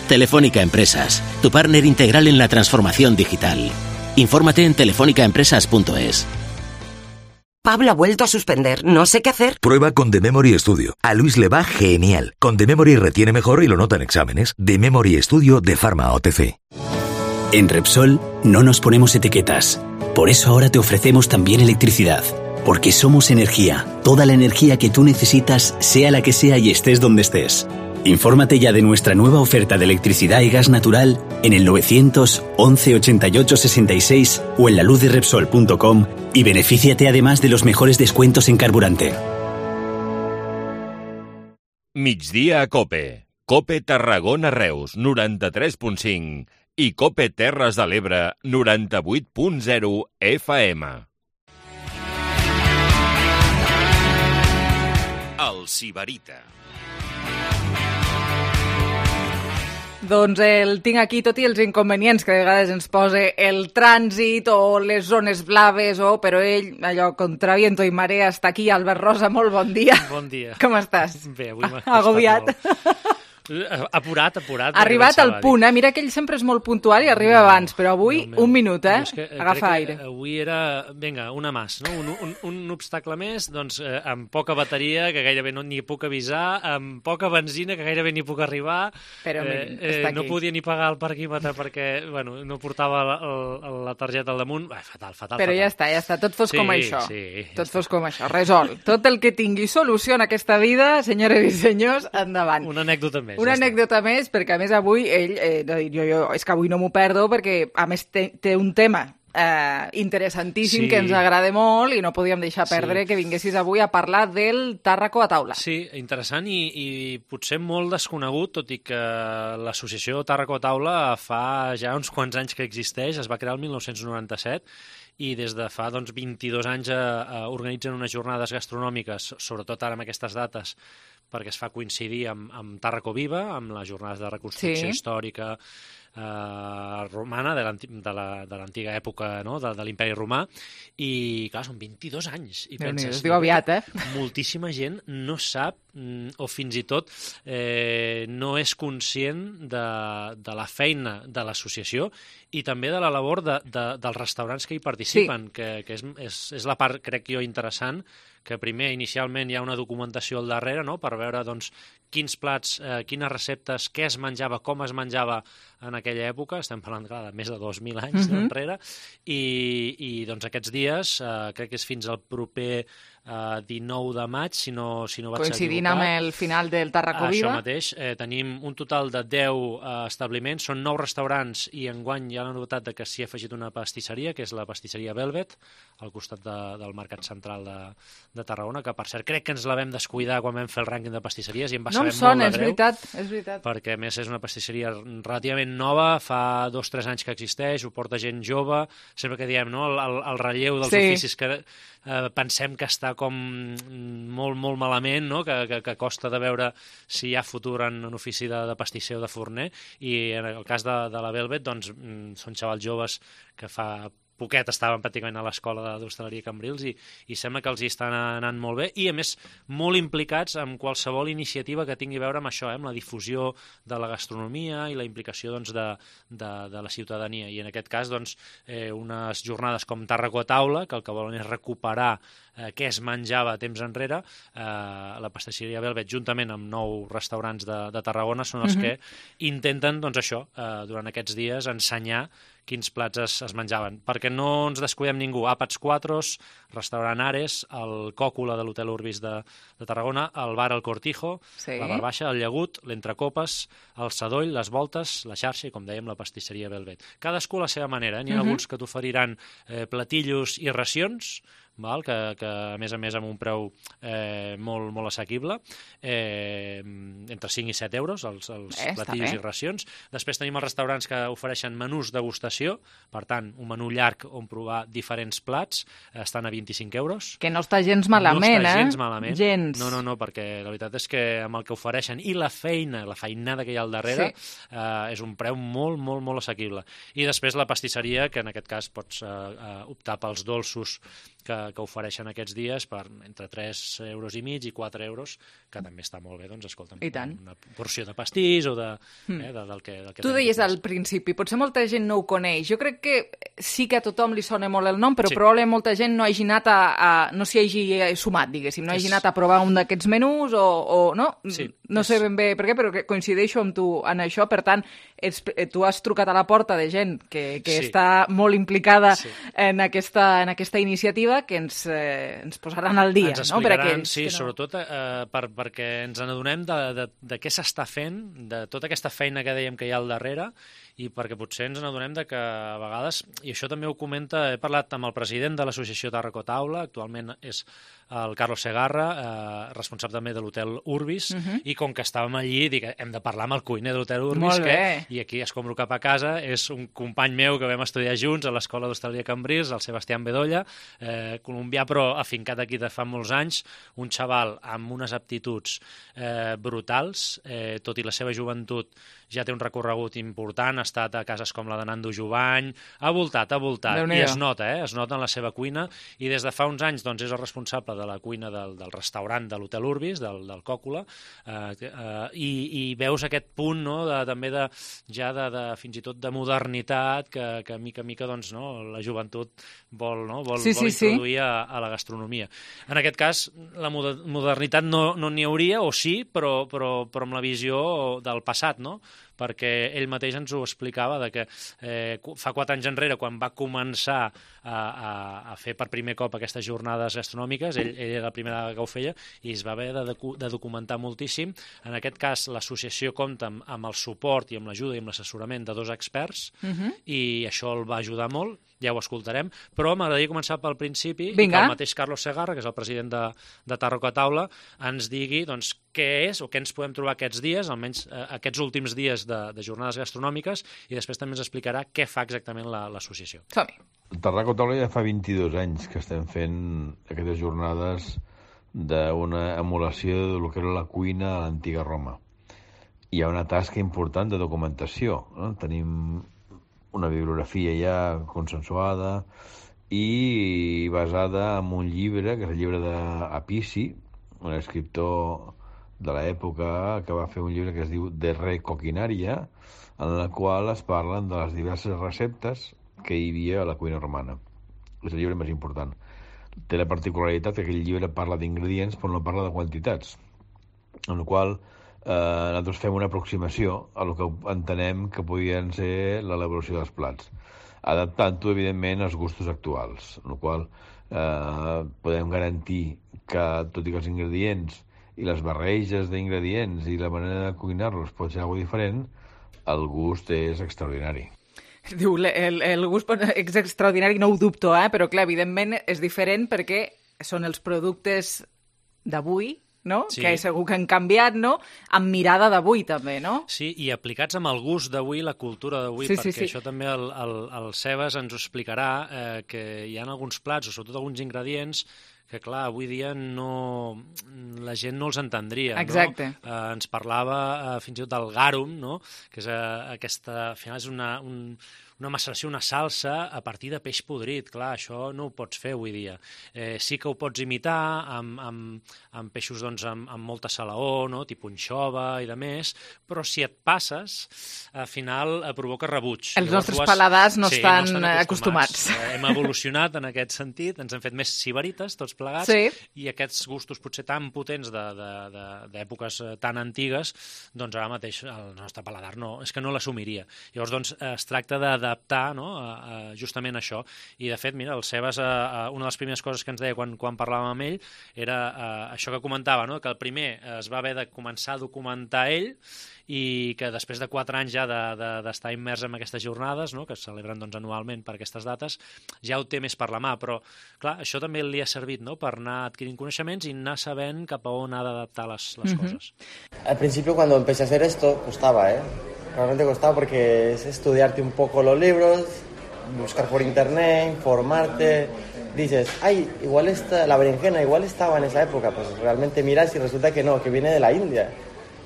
Telefónica Empresas, tu partner integral en la transformación digital. Infórmate en telefonicaempresas.es. Pablo ha vuelto a suspender. No sé qué hacer. Prueba con The Memory Studio. A Luis le va genial. Con The Memory retiene mejor y lo nota en exámenes. The Memory Studio de Pharma OTC. En Repsol no nos ponemos etiquetas. Por eso ahora te ofrecemos también electricidad. Porque somos energía. Toda la energía que tú necesitas, sea la que sea y estés donde estés. Infórmate ya de nuestra nueva oferta de electricidad y gas natural en el 911 88 66 o en laluzderepsol.com y benefíciate además de los mejores descuentos en carburante. Migdia a Cope. Cope Tarragona Reus, 93.5 i Cope Terres de l'Ebre, 98.0 FM. El Sibarita. Doncs el tinc aquí, tot i els inconvenients que a vegades ens posa el trànsit o les zones blaves, però ell, allò, contra viento i marea, està aquí. Albert Rosa, molt bon dia. Bon dia. Com estàs? Bé, avui m'ha agobiat. Apurat. Arribat al punt, Mira que ell sempre és molt puntual i arriba abans, però avui un minut, Agafa aire. Avui era, vinga, una més, no? Un obstacle més, doncs amb poca bateria, que gairebé no n'hi puc avisar, amb poca benzina, que gairebé n'hi puc arribar. Però no podia ni pagar el parquímetre perquè, bueno, no portava la targeta al damunt. Fatal. Però ja està, tot fos com això. Tot fos com això, resol. Tot el que tingui solució en aquesta vida, senyores i senyors, endavant. Una anècdota més. Una anècdota més, perquè a més avui ell, és que avui no m'ho perdo, perquè a més té un tema interessantíssim que ens agrada molt i no podíem deixar perdre que vinguessis avui a parlar del Tàrraco a taula. Sí, interessant i potser molt desconegut, tot i que l'associació Tàrraco a taula fa ja uns quants anys que existeix, es va crear el 1997 i des de fa 22 anys organitzen unes jornades gastronòmiques, sobretot ara amb aquestes dates, perquè es fa coincidir amb Tàrraco Viva, amb les jornades de reconstrucció històrica romana, de l'antiga època, no?, de l'imperi romà, i clar, són 22 anys. I penses, es diu aviat, moltíssima gent no sap o fins i tot no és conscient de la feina de l'associació i també de la labor dels restaurants que hi participen, que és la part, crec jo, interessant, que primer, inicialment, hi ha una documentació al darrere, no?, per veure quins plats, quines receptes, què es menjava, com es menjava en aquella època, estem parlant, clar, de més de 2.000 anys enrere, i aquests dies, crec que és fins al proper 19 de maig, si no vaig equivocar. Coincidint amb el final del Tàrraco Viva. Això mateix, tenim un total de 10 establiments, són 9 restaurants i enguany hi ha la novetat de que s'hi ha afegit una pastisseria, que és la pastisseria Velvet, al costat del Mercat Central de Tarragona, que per cert crec que ens la vam descuidar quan vam fer el rànquing de pastisseries i em va saber molt de greu. És veritat. Perquè a més és una pastisseria relativament nova, fa 2 o 3 anys que existeix, ho porta gent jove, sempre que diem, no?, el relleu dels oficis que pensem que està està com molt, molt malament, no? que costa de veure si hi ha futur en ofici de pastisser o de forner, i en el cas de la Velvet, doncs, són xavals joves que fa poquet estaven pràcticament a l'escola d'hostaleria Cambrils i sembla que els hi estan anant molt bé i, a més, molt implicats en qualsevol iniciativa que tingui a veure amb això, amb la difusió de la gastronomia i la implicació doncs, de la ciutadania. I en aquest cas, doncs, unes jornades com Tàrraco a taula, que el que volen és recuperar què es menjava temps enrere, la pastisseria Velvet, juntament amb 9 restaurants de Tarragona, són els que intenten, doncs això, durant aquests dies, ensenyar quins plats es menjaven. Perquè no ens descuidem ningú. Àpats Quatros, restaurant Ares, el Còcula de l'Hotel Urbis de Tarragona, el bar El Cortijo, la Barbaixa, el Llagut, l'Entrecopes, el Sadoll, les Voltes, la Xarxa i, com dèiem, la pastisseria Velvet. Cadascú a la seva manera. N'hi ha alguns que t'oferiran platillos i racions, que a més amb un preu molt, molt assequible, entre 5 i 7 euros els platillos i racions. Després tenim els restaurants que ofereixen menús degustació, per tant, un menú llarg on provar diferents plats, estan a 25 euros. Que no està gens malament, No està gens malament. Gens. No, perquè la veritat és que amb el que ofereixen i la feinada que hi ha al darrere, és un preu molt, molt, molt assequible. I després la pastisseria, que en aquest cas pots optar pels dolços que ofereixen aquests dies per entre 3,5 euros i 4 euros, que també està molt bé, doncs, escolta'm, una porció de pastís o del que... Tu deies al principi, potser molta gent no ho coneix. Jo crec que sí que a tothom li sona molt el nom, però probablement molta gent no hagi anat no s'hi hagi sumat, diguéssim, no hagi anat a provar un d'aquests menús o no? No sé ben bé per què, però coincideixo amb tu en això. Per tant, tu has trucat a la porta de gent que està molt implicada en aquesta iniciativa, que ens posaran al dia. Ens explicaran, sobretot perquè ens n'adonem de què s'està fent, de tota aquesta feina que dèiem que hi ha al darrere, i perquè potser ens n'adonem que a vegades, i això també ho comenta, he parlat amb el president de l'associació Tàrraco Taula, actualment és el Carlos Segarra, responsable també de l'Hotel Urbis, i com que estàvem allí, dic, hem de parlar amb el cuiner de l'Hotel Urbis, i aquí escombro cap a casa, és un company meu que vam estudiar junts a l'Escola d'Hostaleria Cambrils, el Sebastián Bedolla, colombià però afincat aquí de fa molts anys, un xaval amb unes aptituds brutals, tot i la seva joventut ja té un recorregut important, ha estat a cases com la de Nando Jovany, ha voltat, i es nota en la seva cuina, i des de fa uns anys doncs, és el responsable de la cuina del restaurant de l'Hotel Urbis, del Còcula, i veus aquest punt, no, també fins i tot de modernitat, que mica a mica doncs, no, la joventut vol introduir a la gastronomia. En aquest cas, la modernitat no n'hi hauria, o sí, però amb la visió del passat, no? Perquè ell mateix ens ho explicava que fa 4 anys enrere, quan va començar a fer per primer cop aquestes jornades gastronòmiques, ell era la primera que ho feia i es va haver de documentar moltíssim. En aquest cas, l'associació compta amb el suport i amb l'ajuda i amb l'assessorament de 2 experts, i això el va ajudar molt, ja ho escoltarem, però m'agradaria començar pel principi, i que el mateix Carlos Segarra, que és el president de Tàrraco a taula, ens digui doncs, què és o què ens podem trobar aquests dies, almenys aquests últims dies de jornades gastronòmiques, i després també ens explicarà què fa exactament l'associació. Som-hi. Tàrraco a taula ja fa 22 anys que estem fent aquestes jornades d'una emulació del que era la cuina a l'antiga Roma. Hi ha una tasca important de documentació, no? Tenim una bibliografia ja consensuada i basada en un llibre, que és el llibre d'Apici, un escriptor de l'època que va fer un llibre que es diu De Re Coquinaria, en el qual es parlen de les diverses receptes que hi havia a la cuina romana. És el llibre més important. Té la particularitat que aquell llibre parla d'ingredients però no parla de quantitats, en el qual nosaltres fem una aproximació a el que entenem que podien ser l'elaboració dels plats, adaptant-ho, evidentment, als gustos actuals, en el qual podem garantir que, tot i que els ingredients i les barreges d'ingredients i la manera de cuinar-los pot ser alguna diferent, el gust és extraordinari. Diu, el gust és extraordinari, no ho dubto, però clar, evidentment és diferent perquè són els productes d'avui, no? Sí. Que segur que han canviat, no? Amb mirada d'avui, també, no? Sí, i aplicats amb el gust d'avui, la cultura d'avui, perquè això també el Sebas ens ho explicarà, que hi ha alguns plats, o sobretot alguns ingredients, que clar, avui dia la gent no els entendria. Exacte. No? Ens parlava fins i tot del garum, no? Que és aquesta... Al final és una maceració, una salsa a partir de peix podrit. Clar, això no ho pots fer avui dia. Sí que ho pots imitar amb peixos doncs, amb molta salaó, no? Tipus anxova i de més, però si et passes, al final provoca rebuig. Els nostres paladars no estan acostumats. Hem evolucionat en aquest sentit, ens hem fet més sibarites, tots plegats, i aquests gustos potser tan potents d'èpoques tan antigues, doncs ara mateix el nostre paladar és que no l'assumiria. Llavors, doncs, es tracta d'adaptar justament això. I, de fet, mira, el Sebas, una de les primeres coses que ens deia quan parlàvem amb ell era això que comentava, no? Que el primer es va haver de començar a documentar ell i que després de 4 anys ja d'estar immers en aquestes jornades, no? Que es celebren doncs, anualment per aquestes dates, ja ho té més per la mà, però clar, això també li ha servit, no? Per anar adquirint coneixements i anar sabent cap a on ha d'adaptar les coses. Al principio, cuando empecé a hacer esto, costaba, realmente costaba porque es estudiarte un poco los libros, buscar por internet, informarte. Dices, ay, igual la berenjena igual estaba en esa época. Pues realmente miras y resulta que no, que viene de la India.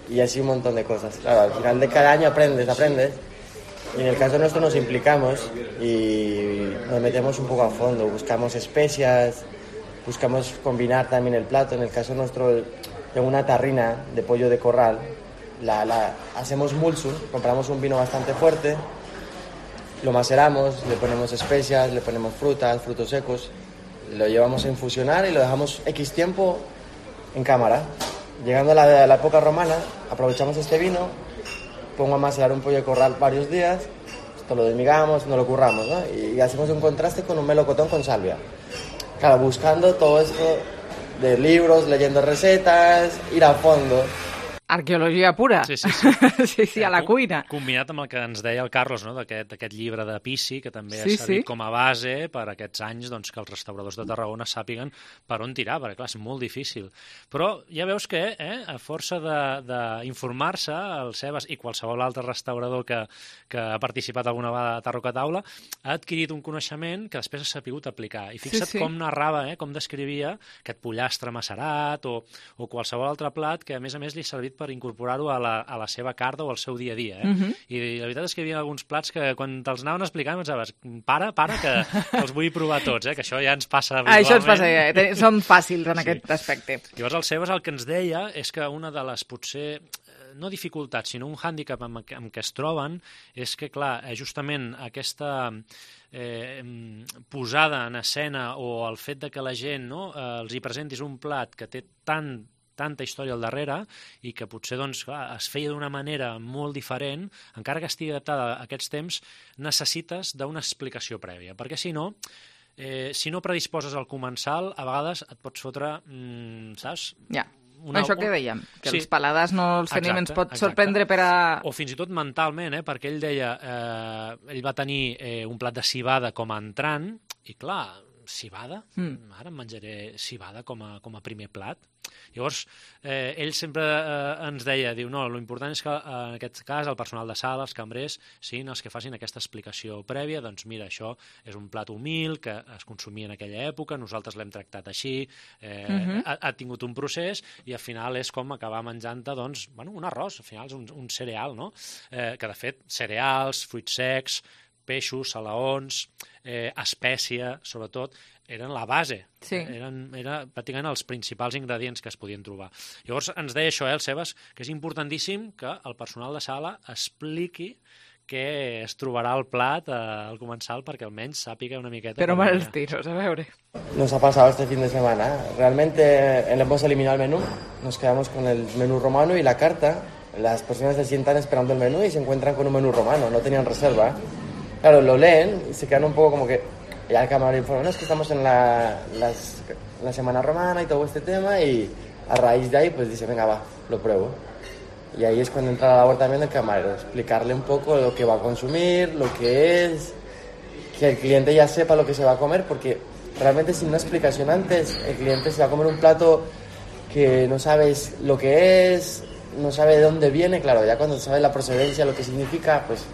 Y así un montón de cosas. Claro, al final de cada año aprendes. Y en el caso nuestro nos implicamos y nos metemos un poco a fondo. Buscamos especias, buscamos combinar también el plato. En el caso nuestro, tengo una tarrina de pollo de corral. Hacemos mulsum, compramos un vino bastante fuerte, lo maceramos, le ponemos especias, le ponemos frutos secos, lo llevamos a infusionar y lo dejamos X tiempo en cámara. Llegando a la época romana, aprovechamos este vino, pongo a macerar un pollo de corral varios días, esto lo desmigamos, no lo curramos, ¿no? Y hacemos un contraste con un melocotón con salvia. Claro, buscando todo esto de libros, leyendo recetas, ir a fondo. Arqueologia pura. Sí, a la cuina. Combinat amb el que ens deia el Carlos, no? d'aquest llibre de Pici, que també ha servit com a base per aquests anys doncs, que els restauradors de Tarragona sàpiguen per on tirar, perquè clar, és molt difícil. Però ja veus que, a força d'informar-se, el Sebas i qualsevol altre restaurador que ha participat alguna vegada a Tarroca Taula, ha adquirit un coneixement que després ha sapigut aplicar. I fixa't com narrava, com descrivia aquest pollastre macerat o qualsevol altre plat que, a més li ha servit per incorporar-ho a la seva carta o al seu dia a dia. I la veritat és que hi havia alguns plats que quan te'ls anaven explicant pensaves, para, que els vull provar tots, que això ja ens passa habitualment. Això ens passa, som fàcils en aquest aspecte. Llavors el Sebas el que ens deia és que una de les potser no dificultats, sinó un hàndicap amb què es troben és que, clar, justament aquesta posada en escena o el fet de que la gent els hi presentis un plat que té tanta història al darrere i que potser doncs, clar, es feia d'una manera molt diferent, encara que estigui adaptada a aquests temps, necessites d'una explicació prèvia, perquè si no predisposes al comensal, a vegades et pots fotre, saps? Ja. Això que dèiem, que els paladars no els tenim, ens pot sorprendre per a... O fins i tot mentalment, perquè ell deia, ell va tenir un plat de civada com a entrant, i clar, civada? Ara em menjaré civada com a primer plat. Llavors, ell sempre ens deia, diu, no, l'important és que en aquest cas el personal de sala, els cambrers, siguin els que facin aquesta explicació prèvia, doncs mira, això és un plat humil que es consumia en aquella època, nosaltres l'hem tractat així, ha tingut un procés i al final és com acabar menjant-te, doncs, bueno, un arròs, al final és un cereal, no? Que de fet, cereals, fruits secs, peixos, salaons, espècia, sobretot, eren la base. Eren pràcticament els principals ingredients que es podien trobar. Llavors ens deia això, el Sebas, que és importantíssim que el personal de sala expliqui què es trobarà al plat al comensal perquè almenys sàpiga una miqueta... Però mal els tiros, a veure. Nos ha pasado este fin de semana. Realmente hemos eliminado el menú, nos quedamos con el menú romano y la carta. Las personas se sientan esperando el menú y se encuentran con un menú romano, no tenían reserva. Claro, lo leen y se quedan un poco como que... Ya el camarero informa, no, es que estamos en la semana romana y todo este tema y a raíz de ahí pues dice, venga, va, lo pruebo. Y ahí es cuando entra la labor también del camarero, explicarle un poco lo que va a consumir, lo que es, que el cliente ya sepa lo que se va a comer, porque realmente sin una explicación antes, el cliente se va a comer un plato que no sabes lo que es, no sabe de dónde viene, claro, ya cuando sabes la procedencia, lo que significa, pues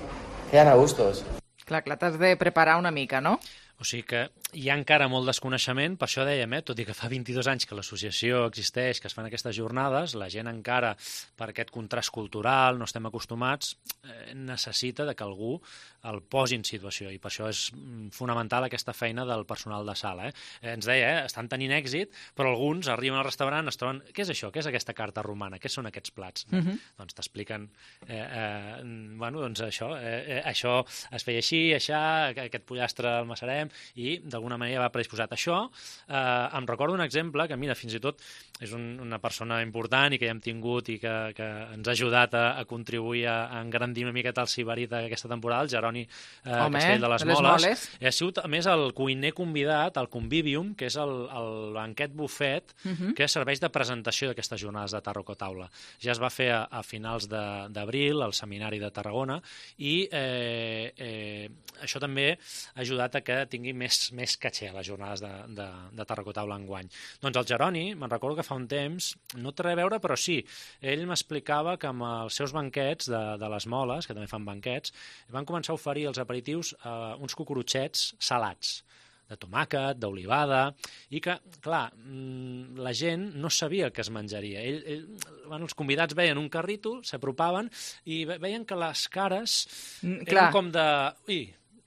quedan a gustos. Clar, t'has de preparar una mica, no? O sigui que hi ha encara molt desconeixement, per això dèiem, tot i que fa 22 anys que l'associació existeix, que es fan aquestes jornades, la gent encara, per aquest contrast cultural, no estem acostumats, necessita que algú el posi en situació, i per això és fonamental aquesta feina del personal de sala. Ens deia, estan tenint èxit, però alguns arriben al restaurant, es troben, què és això? Què és aquesta carta romana? Què són aquests plats? Doncs t'expliquen, doncs això es feia així, aquest pollastre el macerem, i d'alguna manera va predisposat. Això em recorda un exemple que, mira, fins i tot és una persona important i que ja hem tingut i que ens ha ajudat a contribuir a engrandir una miqueta el Sibarita aquesta temporada, el Jeroni Castell de les Moles. Ha sigut, a més, el cuiner convidat al Convivium, que és el banquet bufet que serveix de presentació d'aquestes jornades de Tarraco-Taula. Ja es va fer a finals d'abril al Seminari de Tarragona i això també ha ajudat a que tingui més caché a les jornades de Tarraco-Taula enguany. Doncs el Jeroni, me'n recordo que fa un temps, no té res a veure, però sí, ell m'explicava que amb els seus banquets de les Moles, que també fan banquets, van començar a oferir als aperitius uns cucurutxets salats, de tomàquet, d'olivada, i que, clar, la gent no sabia el que es menjaria. Els convidats veien un carrito, s'apropaven i veien que les cares eren com de...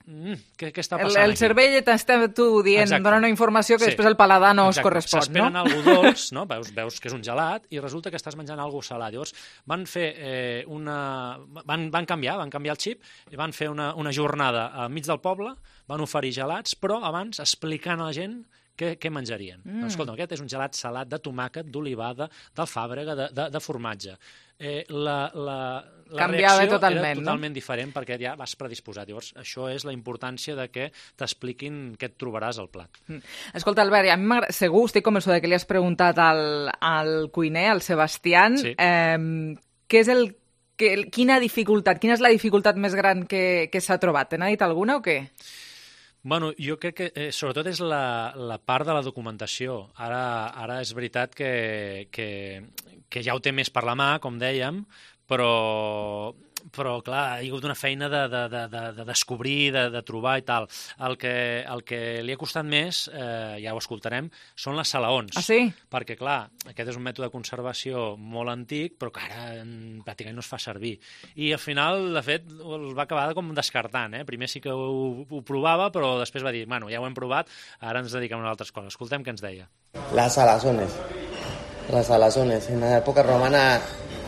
què està passant aquí? El cervell t'està dient, dona una informació que després el paladar no us correspon, no? S'esperen algo dolç, no? Veus que és un gelat i resulta que estàs menjant algo salat. Llavors van fer van canviar el xip i van fer una jornada al mig del poble, van oferir gelats, però abans explicant a la gent què menjarien. Doncs, escolta, aquest és un gelat salat de tomàquet, d'olivada, d'alfàbrega, de formatge. La reacció era totalment diferent perquè ja vas predisposat. Llavors, això és la importància de que t'expliquin què et trobaràs al plat. Escolta, Albert, a mi m'agrada, segur, estic convençuda que li has preguntat al cuiner, al Sebastián, què és quina és la dificultat més gran que s'ha trobat? Te n'ha dit alguna o què? Bueno, jo crec que sobretot és la part de la documentació. Ara és veritat que ja ho té més per la mà, com dèiem, però clar, hi ha hagut una feina de descobrir, de trobar i tal. El que li ha costat més, ja ho escoltarem, són les salaons. Ah, sí? Perquè, clar, aquest és un mètode de conservació molt antic, però que ara pràcticament no es fa servir. I al final, de fet, el va acabar com descartant. Primer sí que ho provava, però després va dir, bueno, ja ho hem provat, ara ens dediquem a altres coses. Escoltem què ens deia. Las salazones. En la época romana,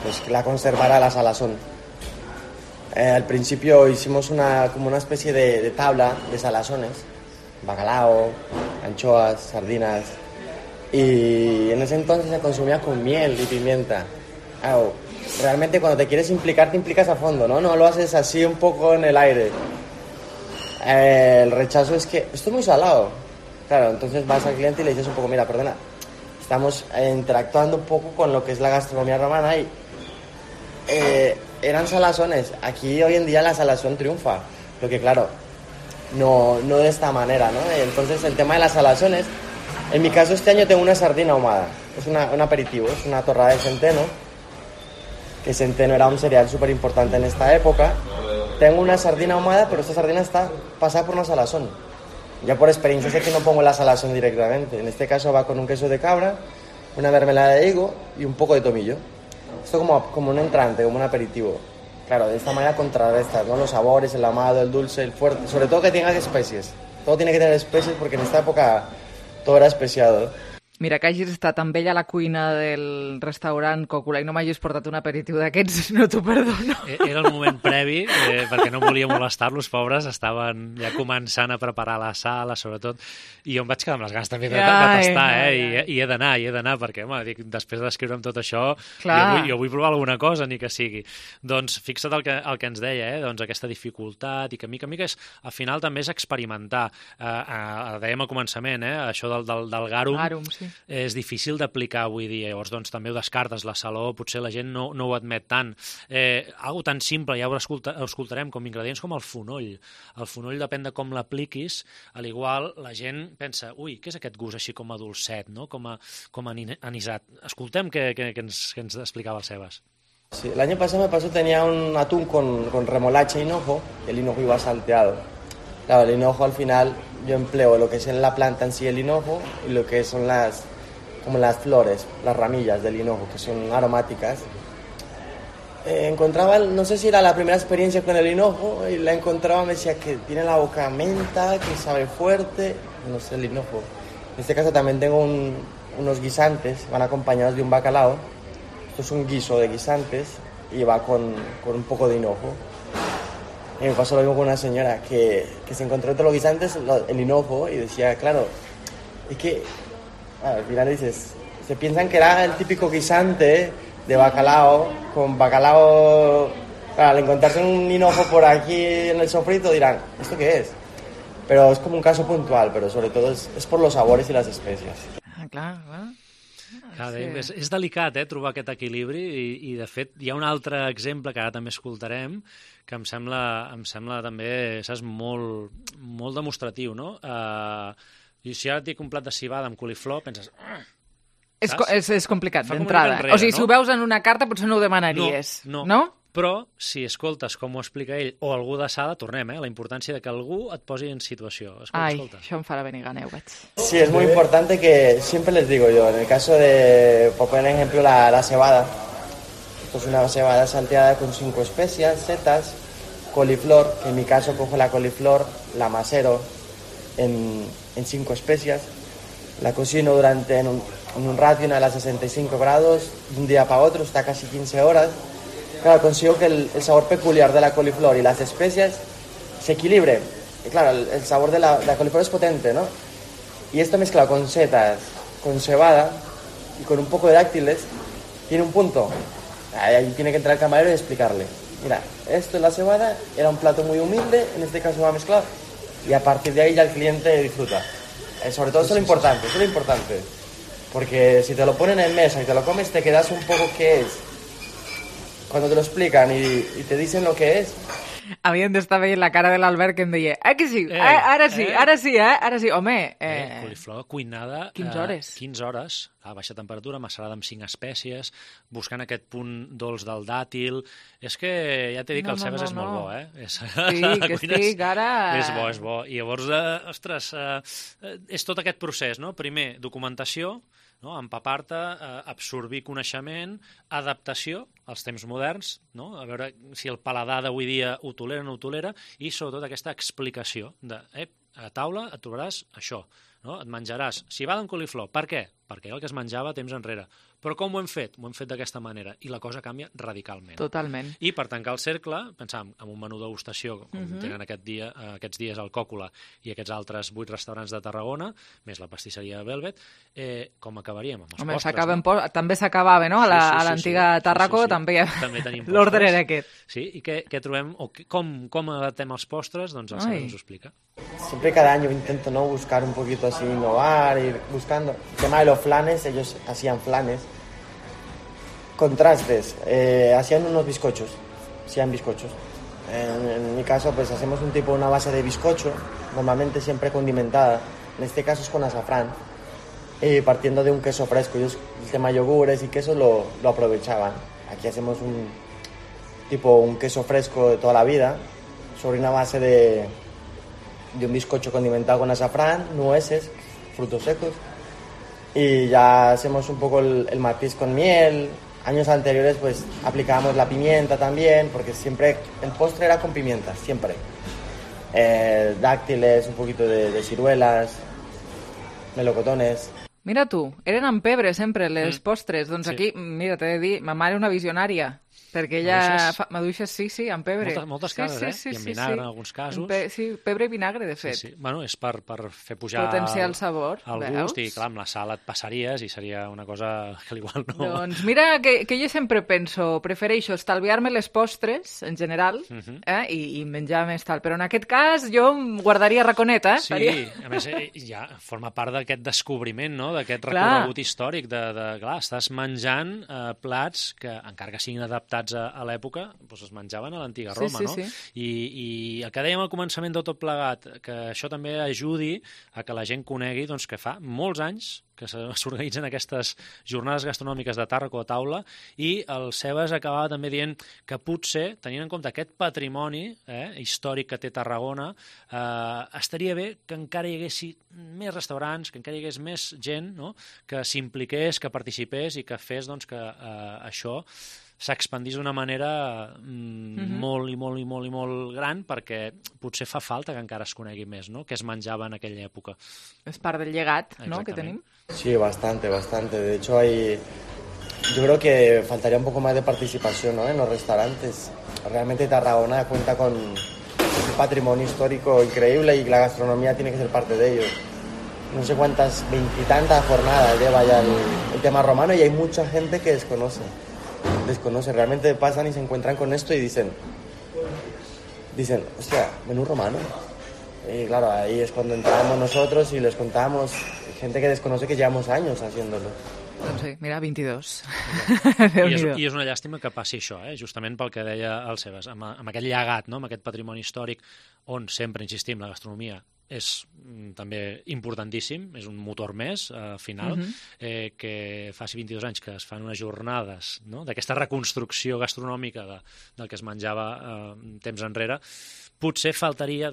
pues la conservara la salazón. Al principio hicimos como una especie de tabla de salazones, bacalao, anchoas, sardinas, y en ese entonces se consumía con miel y pimienta. Claro, realmente cuando te quieres implicar, te implicas a fondo, ¿no? No lo haces así un poco en el aire. El rechazo es que esto es muy salado. Claro, entonces vas al cliente y le dices un poco, mira, perdona, estamos interactuando un poco con lo que es la gastronomía romana y eran salazones. Aquí hoy en día la salazón triunfa, porque claro, no de esta manera, ¿no? Entonces el tema de las salazones, en mi caso este año tengo una sardina ahumada, es un aperitivo, es una torrada de centeno, que centeno era un cereal súper importante en esta época. Tengo una sardina ahumada, pero esta sardina está pasada por una salazón. Ya por experiencia sé que no pongo la salazón directamente, en este caso va con un queso de cabra, una mermelada de higo y un poco de tomillo. Esto como un entrante, como un aperitivo. Claro, de esta manera contrarrestas, ¿no? Los sabores, el ahumado, el dulce, el fuerte. Sobre todo que tenga especies. Todo tiene que tener especies porque en esta época todo era especiado. Mira, que hagis estat amb ell a la cuina del restaurant Còcula i no m'hagis portat un aperitiu d'aquests, no t'ho perdono. Era el moment previ, perquè no volia molestar-los, pobres, estaven ja començant a preparar la sala, sobretot, i jo em vaig quedar amb les ganes també de tastar, i he d'anar, perquè, home, dic, després d'escriure'm tot això, jo vull provar alguna cosa, ni que sigui. Doncs fixa't el que ens deia, doncs aquesta dificultat, i que mica en mica al final també és experimentar. Dèiem al començament, això del garum, sí. És difícil d'aplicar avui dia, llavors doncs també ho descartes, la saló, potser la gent no ho admet tant. Algo tan simple, ja ho escoltarem, com ingredients com el fonoll. El fonoll depèn de com l'apliquis, a l'igual la gent pensa, ui, què és aquest gust així com a dolcet, no? com a anisat. Escoltem què ens explicava el Sebas. Sí, el año pasado tenía un atún con remolacha y hinojo, el hinojo iba salteado. Claro, el hinojo al final yo empleo lo que es en la planta en sí el hinojo y lo que son las flores, las ramillas del hinojo, que son aromáticas. Encontraba, no sé si era la primera experiencia con el hinojo, y la encontraba, me decía que tiene la boca menta, que sabe fuerte, no sé, el hinojo. En este caso también tengo unos guisantes, van acompañados de un bacalao. Esto es un guiso de guisantes y va con un poco de hinojo. Y me pasó lo mismo con una señora que se encontró entre los guisantes el hinojo y decía, claro, es que al final dices, se piensan que era el típico guisante de bacalao, con bacalao, claro, al encontrarse un hinojo por aquí en el sofrito dirán, ¿esto qué es? Pero és com un cas puntual, però sobretot és per los sabores i les espècies. Clar. És delicat, trobar aquest equilibri i, de fet, hi ha un altre exemple que ara també escoltarem que em sembla també, saps, molt demostratiu, no? I si ara et dic un plat de civada amb coliflor, penses... És complicat d'entrada. O sigui, si ho veus en una carta potser no ho demanaries, no? Però, si escoltes com ho explica ell o algú de sala, tornem, la importància de que algú et posi en situació. Escolta. Això em farà venir gana, ho veig. Sí, es muy importante que, siempre les digo yo, en el caso de, por poner ejemplo, la cebada, esto es una cebada salteada con 5 especias, setas, coliflor, que en mi caso cojo la coliflor, la macero en 5 especias, la cocino en un ratio a las 65 grados, de un día para otro, está casi 15 horas. Claro, consigo que el sabor peculiar de la coliflor y las especias se equilibre. Y claro, el sabor de la coliflor es potente, ¿no? Y esto mezclado con setas, con cebada y con un poco de dáctiles, tiene un punto. Ahí tiene que entrar el camarero y explicarle. Mira, esto es la cebada, era un plato muy humilde, en este caso va mezclado, y a partir de ahí ya el cliente disfruta. Sobre todo eso es lo importante. Porque si te lo ponen en mesa y te lo comes, te quedas un poco ¿qué es? Cuando te lo explican y te dicen lo que és... Havien d'estar veient la cara de l'Albert que em deia que sí, ara sí, home... Coliflor cuinada 15 hores. 15 hores, a baixa temperatura, macerada amb 5 espècies, buscant aquest punt dolç del dàtil... És que ja t'he dit que el cebes és molt bo, Sí, que estic ara... És bo. I llavors, ostres, és tot aquest procés, no? Primer, documentació, no? Empapar-te, absorbir coneixement, adaptació als temps moderns, no? A veure si el paladar d'avui dia ho tolera o no ho tolera, i sobretot aquesta explicació de a taula et trobaràs això, no? Et menjaràs civada amb coliflor. Per què? Perquè era el que es menjava temps enrere. Però com ho hem fet? Ho hem fet d'aquesta manera, i la cosa canvia radicalment. Totalment. I per tancar el cercle, pensàvem en un menú degustació, com tenen aquests dies al Còcula i aquests altres 8 restaurants de Tarragona, més la pastisseria Velvet, com acabaríem? Amb els postres, també s'acabava, no? A l'antiga Tarraco també tenim l'ordre era aquest. Sí, i què trobem, o com adaptem els postres, doncs el Sara ens ho explica. Siempre cada año intento no buscar un poquito así, innovar, ir buscando. El tema de los flanes, ellos hacían flanes. Contrastes, hacían unos bizcochos, En mi caso, pues hacemos una base de bizcocho, normalmente siempre condimentada, en este caso es con azafrán, partiendo de un queso fresco. Ellos, el tema yogures y queso lo aprovechaban. Aquí hacemos un queso fresco de toda la vida, sobre una base de un bizcocho condimentado con azafrán, nueces, frutos secos, y ya hacemos un poco el matiz con miel. Años anteriores pues aplicábamos la pimienta también, porque siempre el postre era con pimienta, siempre. Dáctiles, un poquito de ciruelas, melocotones. Mira tu, eren amb pebre sempre les postres. Doncs aquí, mira, t'he de dir, ma mare una visionària, perquè ella fa maduixes, sí, amb pebre. Moltes cases, i amb vinagre en alguns casos. Sí, pebre i vinagre, de fet. Sí. Bueno, és per fer pujar potenciar el sabor, el gust, i clar, amb la sal et passaries i seria una cosa que igual no... Doncs mira que jo sempre penso, prefereixo estalviar-me les postres, en general, i menjar més tal, però en aquest cas jo em guardaria raconeta. Sí, a més, ja forma part d'aquest descobriment, no?, d'aquest recorregut històric, clar, estàs menjant plats que, encara que siguin adaptats ciutats a l'època es menjaven a l'antiga Roma, no? I el que dèiem al començament de tot plegat, que això també ajudi a que la gent conegui que fa molts anys que s'organitzen aquestes jornades gastronòmiques de tàrraco a taula, i el Sebas acabava també dient que potser, tenint en compte aquest patrimoni històric que té Tarragona, estaria bé que encara hi hagués més restaurants, que encara hi hagués més gent, no?, que s'impliqués, que participés i que fes que això s'expandís d'una manera molt i molt i molt i molt gran, perquè potser fa falta que encara es conegui més, no?, què es menjava en aquella època. És part del llegat, ¿no?, que tenim. Sí, bastante. De hecho, yo creo que faltaría un poco más de participación, ¿no?, en los restaurantes. Realmente Tarragona cuenta con un patrimonio histórico increíble y la gastronomía tiene que ser parte de ello. No sé cuántas, 20 y tantas jornadas lleva ya el tema romano, y hay mucha gente que desconoce, realmente pasan y se encuentran con esto y dicen, hostia, menú romano. Y claro, ahí es cuando entramos nosotros y les contamos, gente que desconoce que llevamos años haciéndolo. Doncs sí, mira, 22. I és una llàstima que passi això, justament pel que deia el Sebas, amb aquest llegat, no?, amb aquest patrimoni històric, on sempre insistim, la gastronomia és també importantíssim, és un motor més final, que faci 22 anys que es fan unes jornades, no?, d'aquesta reconstrucció gastronòmica del que es menjava temps enrere. Potser faltaria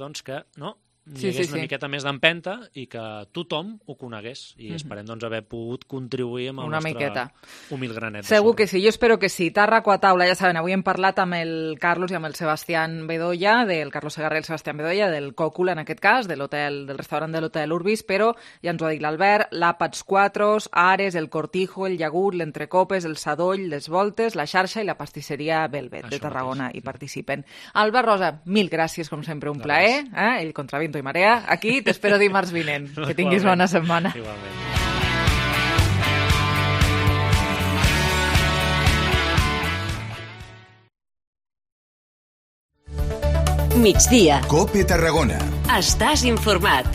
que hi hagués una miqueta més d'empenta i que tothom ho conegués, i esperem haver pogut contribuir amb el nostre humil granet. Segur que sí, jo espero que sí. Tàrraco a taula, ja saben, avui hem parlat amb el Carlos i amb el Sebastián Bedoya, del Carlos Segarra i el Sebastián Bedoya, del Còcul, en aquest cas, del restaurant de l'Hotel Urbis, però ja ens ho ha dit l'Albert, l'Àpats Quatros, Ares, el Cortijo, el Llagut, l'Entrecopes, el Sadoll, les Voltes, la Xarxa i la pastisseria Velvet de Tarragona hi participen. Albert Rosa, mil gràcies, com sempre, un plaer. El Contraviento i Marea, aquí t'espero dimarts vinent. Que tinguis bona setmana. Igualment. Migdia. COPE Tarragona. Estàs informat.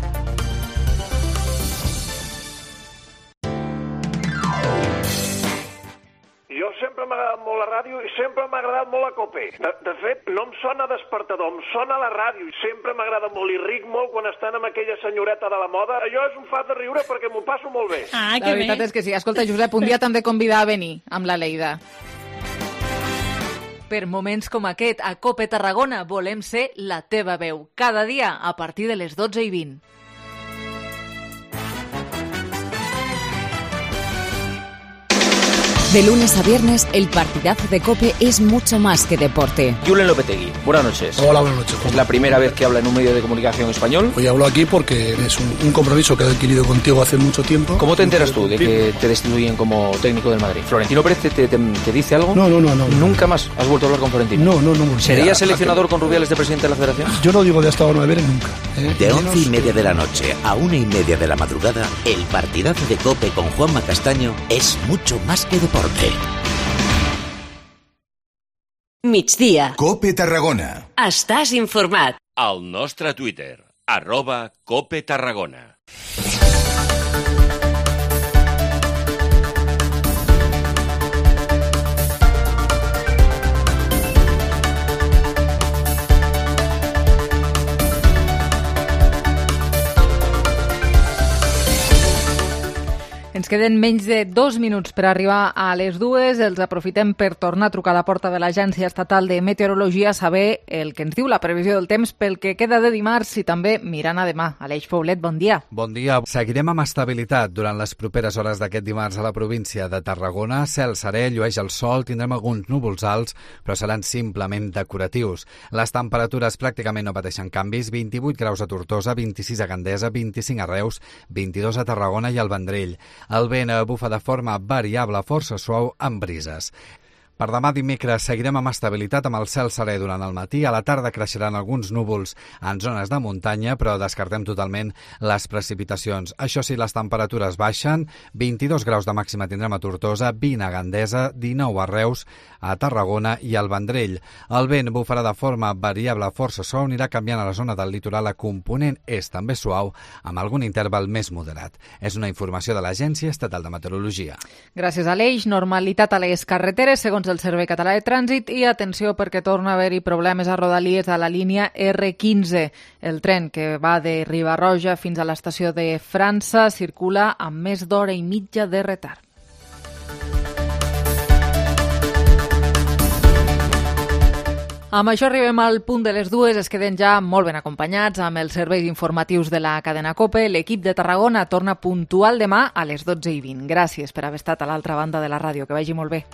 Jo sempre m'ha agradat molt la ràdio i sempre m'ha agradat molt la COPE. De fet, no em sona despertador, em sona la ràdio i sempre m'agrada molt i ric molt quan estan amb aquella senyoreta de la moda. Allò és un fat de riure perquè m'ho passo molt bé. La veritat és que sí. Escolta, Josep, un dia t'hem de convidar a venir amb la Leida. Per moments com aquest, a COPE Tarragona volem ser la teva veu. Cada dia a partir de les 12:20. De lunes a viernes, el partidazo de COPE es mucho más que deporte. Julen Lopetegui, buenas noches. Hola, buenas noches. Es la primera vez que habla en un medio de comunicación español. Hoy hablo aquí porque es un compromiso que he adquirido contigo hace mucho tiempo. ¿Cómo te enteras tú de que te destituyen como técnico del Madrid? ¿Florentino Pérez te dice algo? No. ¿Nunca más has vuelto a hablar con Florentino? No. ¿Serías seleccionador con Rubiales de presidente de la Federación? Yo no digo de hasta ahora 9 nunca. De 11:30 de la noche a 1:30 de la madrugada, el partidazo de COPE con Juanma Castaño es mucho más que deporte. Migdia. COPE Tarragona. Estàs informat. Al nostre Twitter, @COPE Tarragona. Ens queden menys de 2 minuts per arribar a les 2. Els aprofitem per tornar a trucar a la porta de l'Agència Estatal de Meteorologia a saber el que ens diu la previsió del temps pel que queda de dimarts i també mirant a demà. Aleix Poblet, bon dia. Bon dia. Seguirem amb estabilitat durant les properes hores d'aquest dimarts a la província de Tarragona. Cel serè, llueix el sol, tindrem alguns núvols alts, però seran simplement decoratius. Les temperatures pràcticament no pateixen canvis. 28 graus a Tortosa, 26 a Gandesa, 25 a Reus, 22 a Tarragona i al Vendrell. El vent bufa de forma variable, força suau, amb brises. Per demà dimecres seguirem amb estabilitat amb el cel serè durant el matí. A la tarda creixeran alguns núvols en zones de muntanya, però descartem totalment les precipitacions. Això sí, les temperatures baixen. 22 graus de màxima tindrem a Tortosa, 20 a Gandesa, 19 a Reus, a Tarragona i al Vendrell. El vent bufarà de forma variable, força suau, anirà canviant a la zona del litoral a component és també suau, amb algun interval més moderat. És una informació de l'Agència Estatal de Meteorologia. Gràcies, Aleix. Normalitat a les carreteres, segons del Servei Català de Trànsit i atenció perquè torna a haver-hi problemes a Rodalies a la línia R15. El tren que va de Riba-roja fins a l'estació de França circula amb més d'hora i mitja de retard. Amb això arribem al punt de les 2, es queden ja molt ben acompanyats amb els serveis informatius de la cadena COPE. L'equip de Tarragona torna puntual demà a les 12:20. Gràcies per haver estat a l'altra banda de la ràdio. Que vagi molt bé.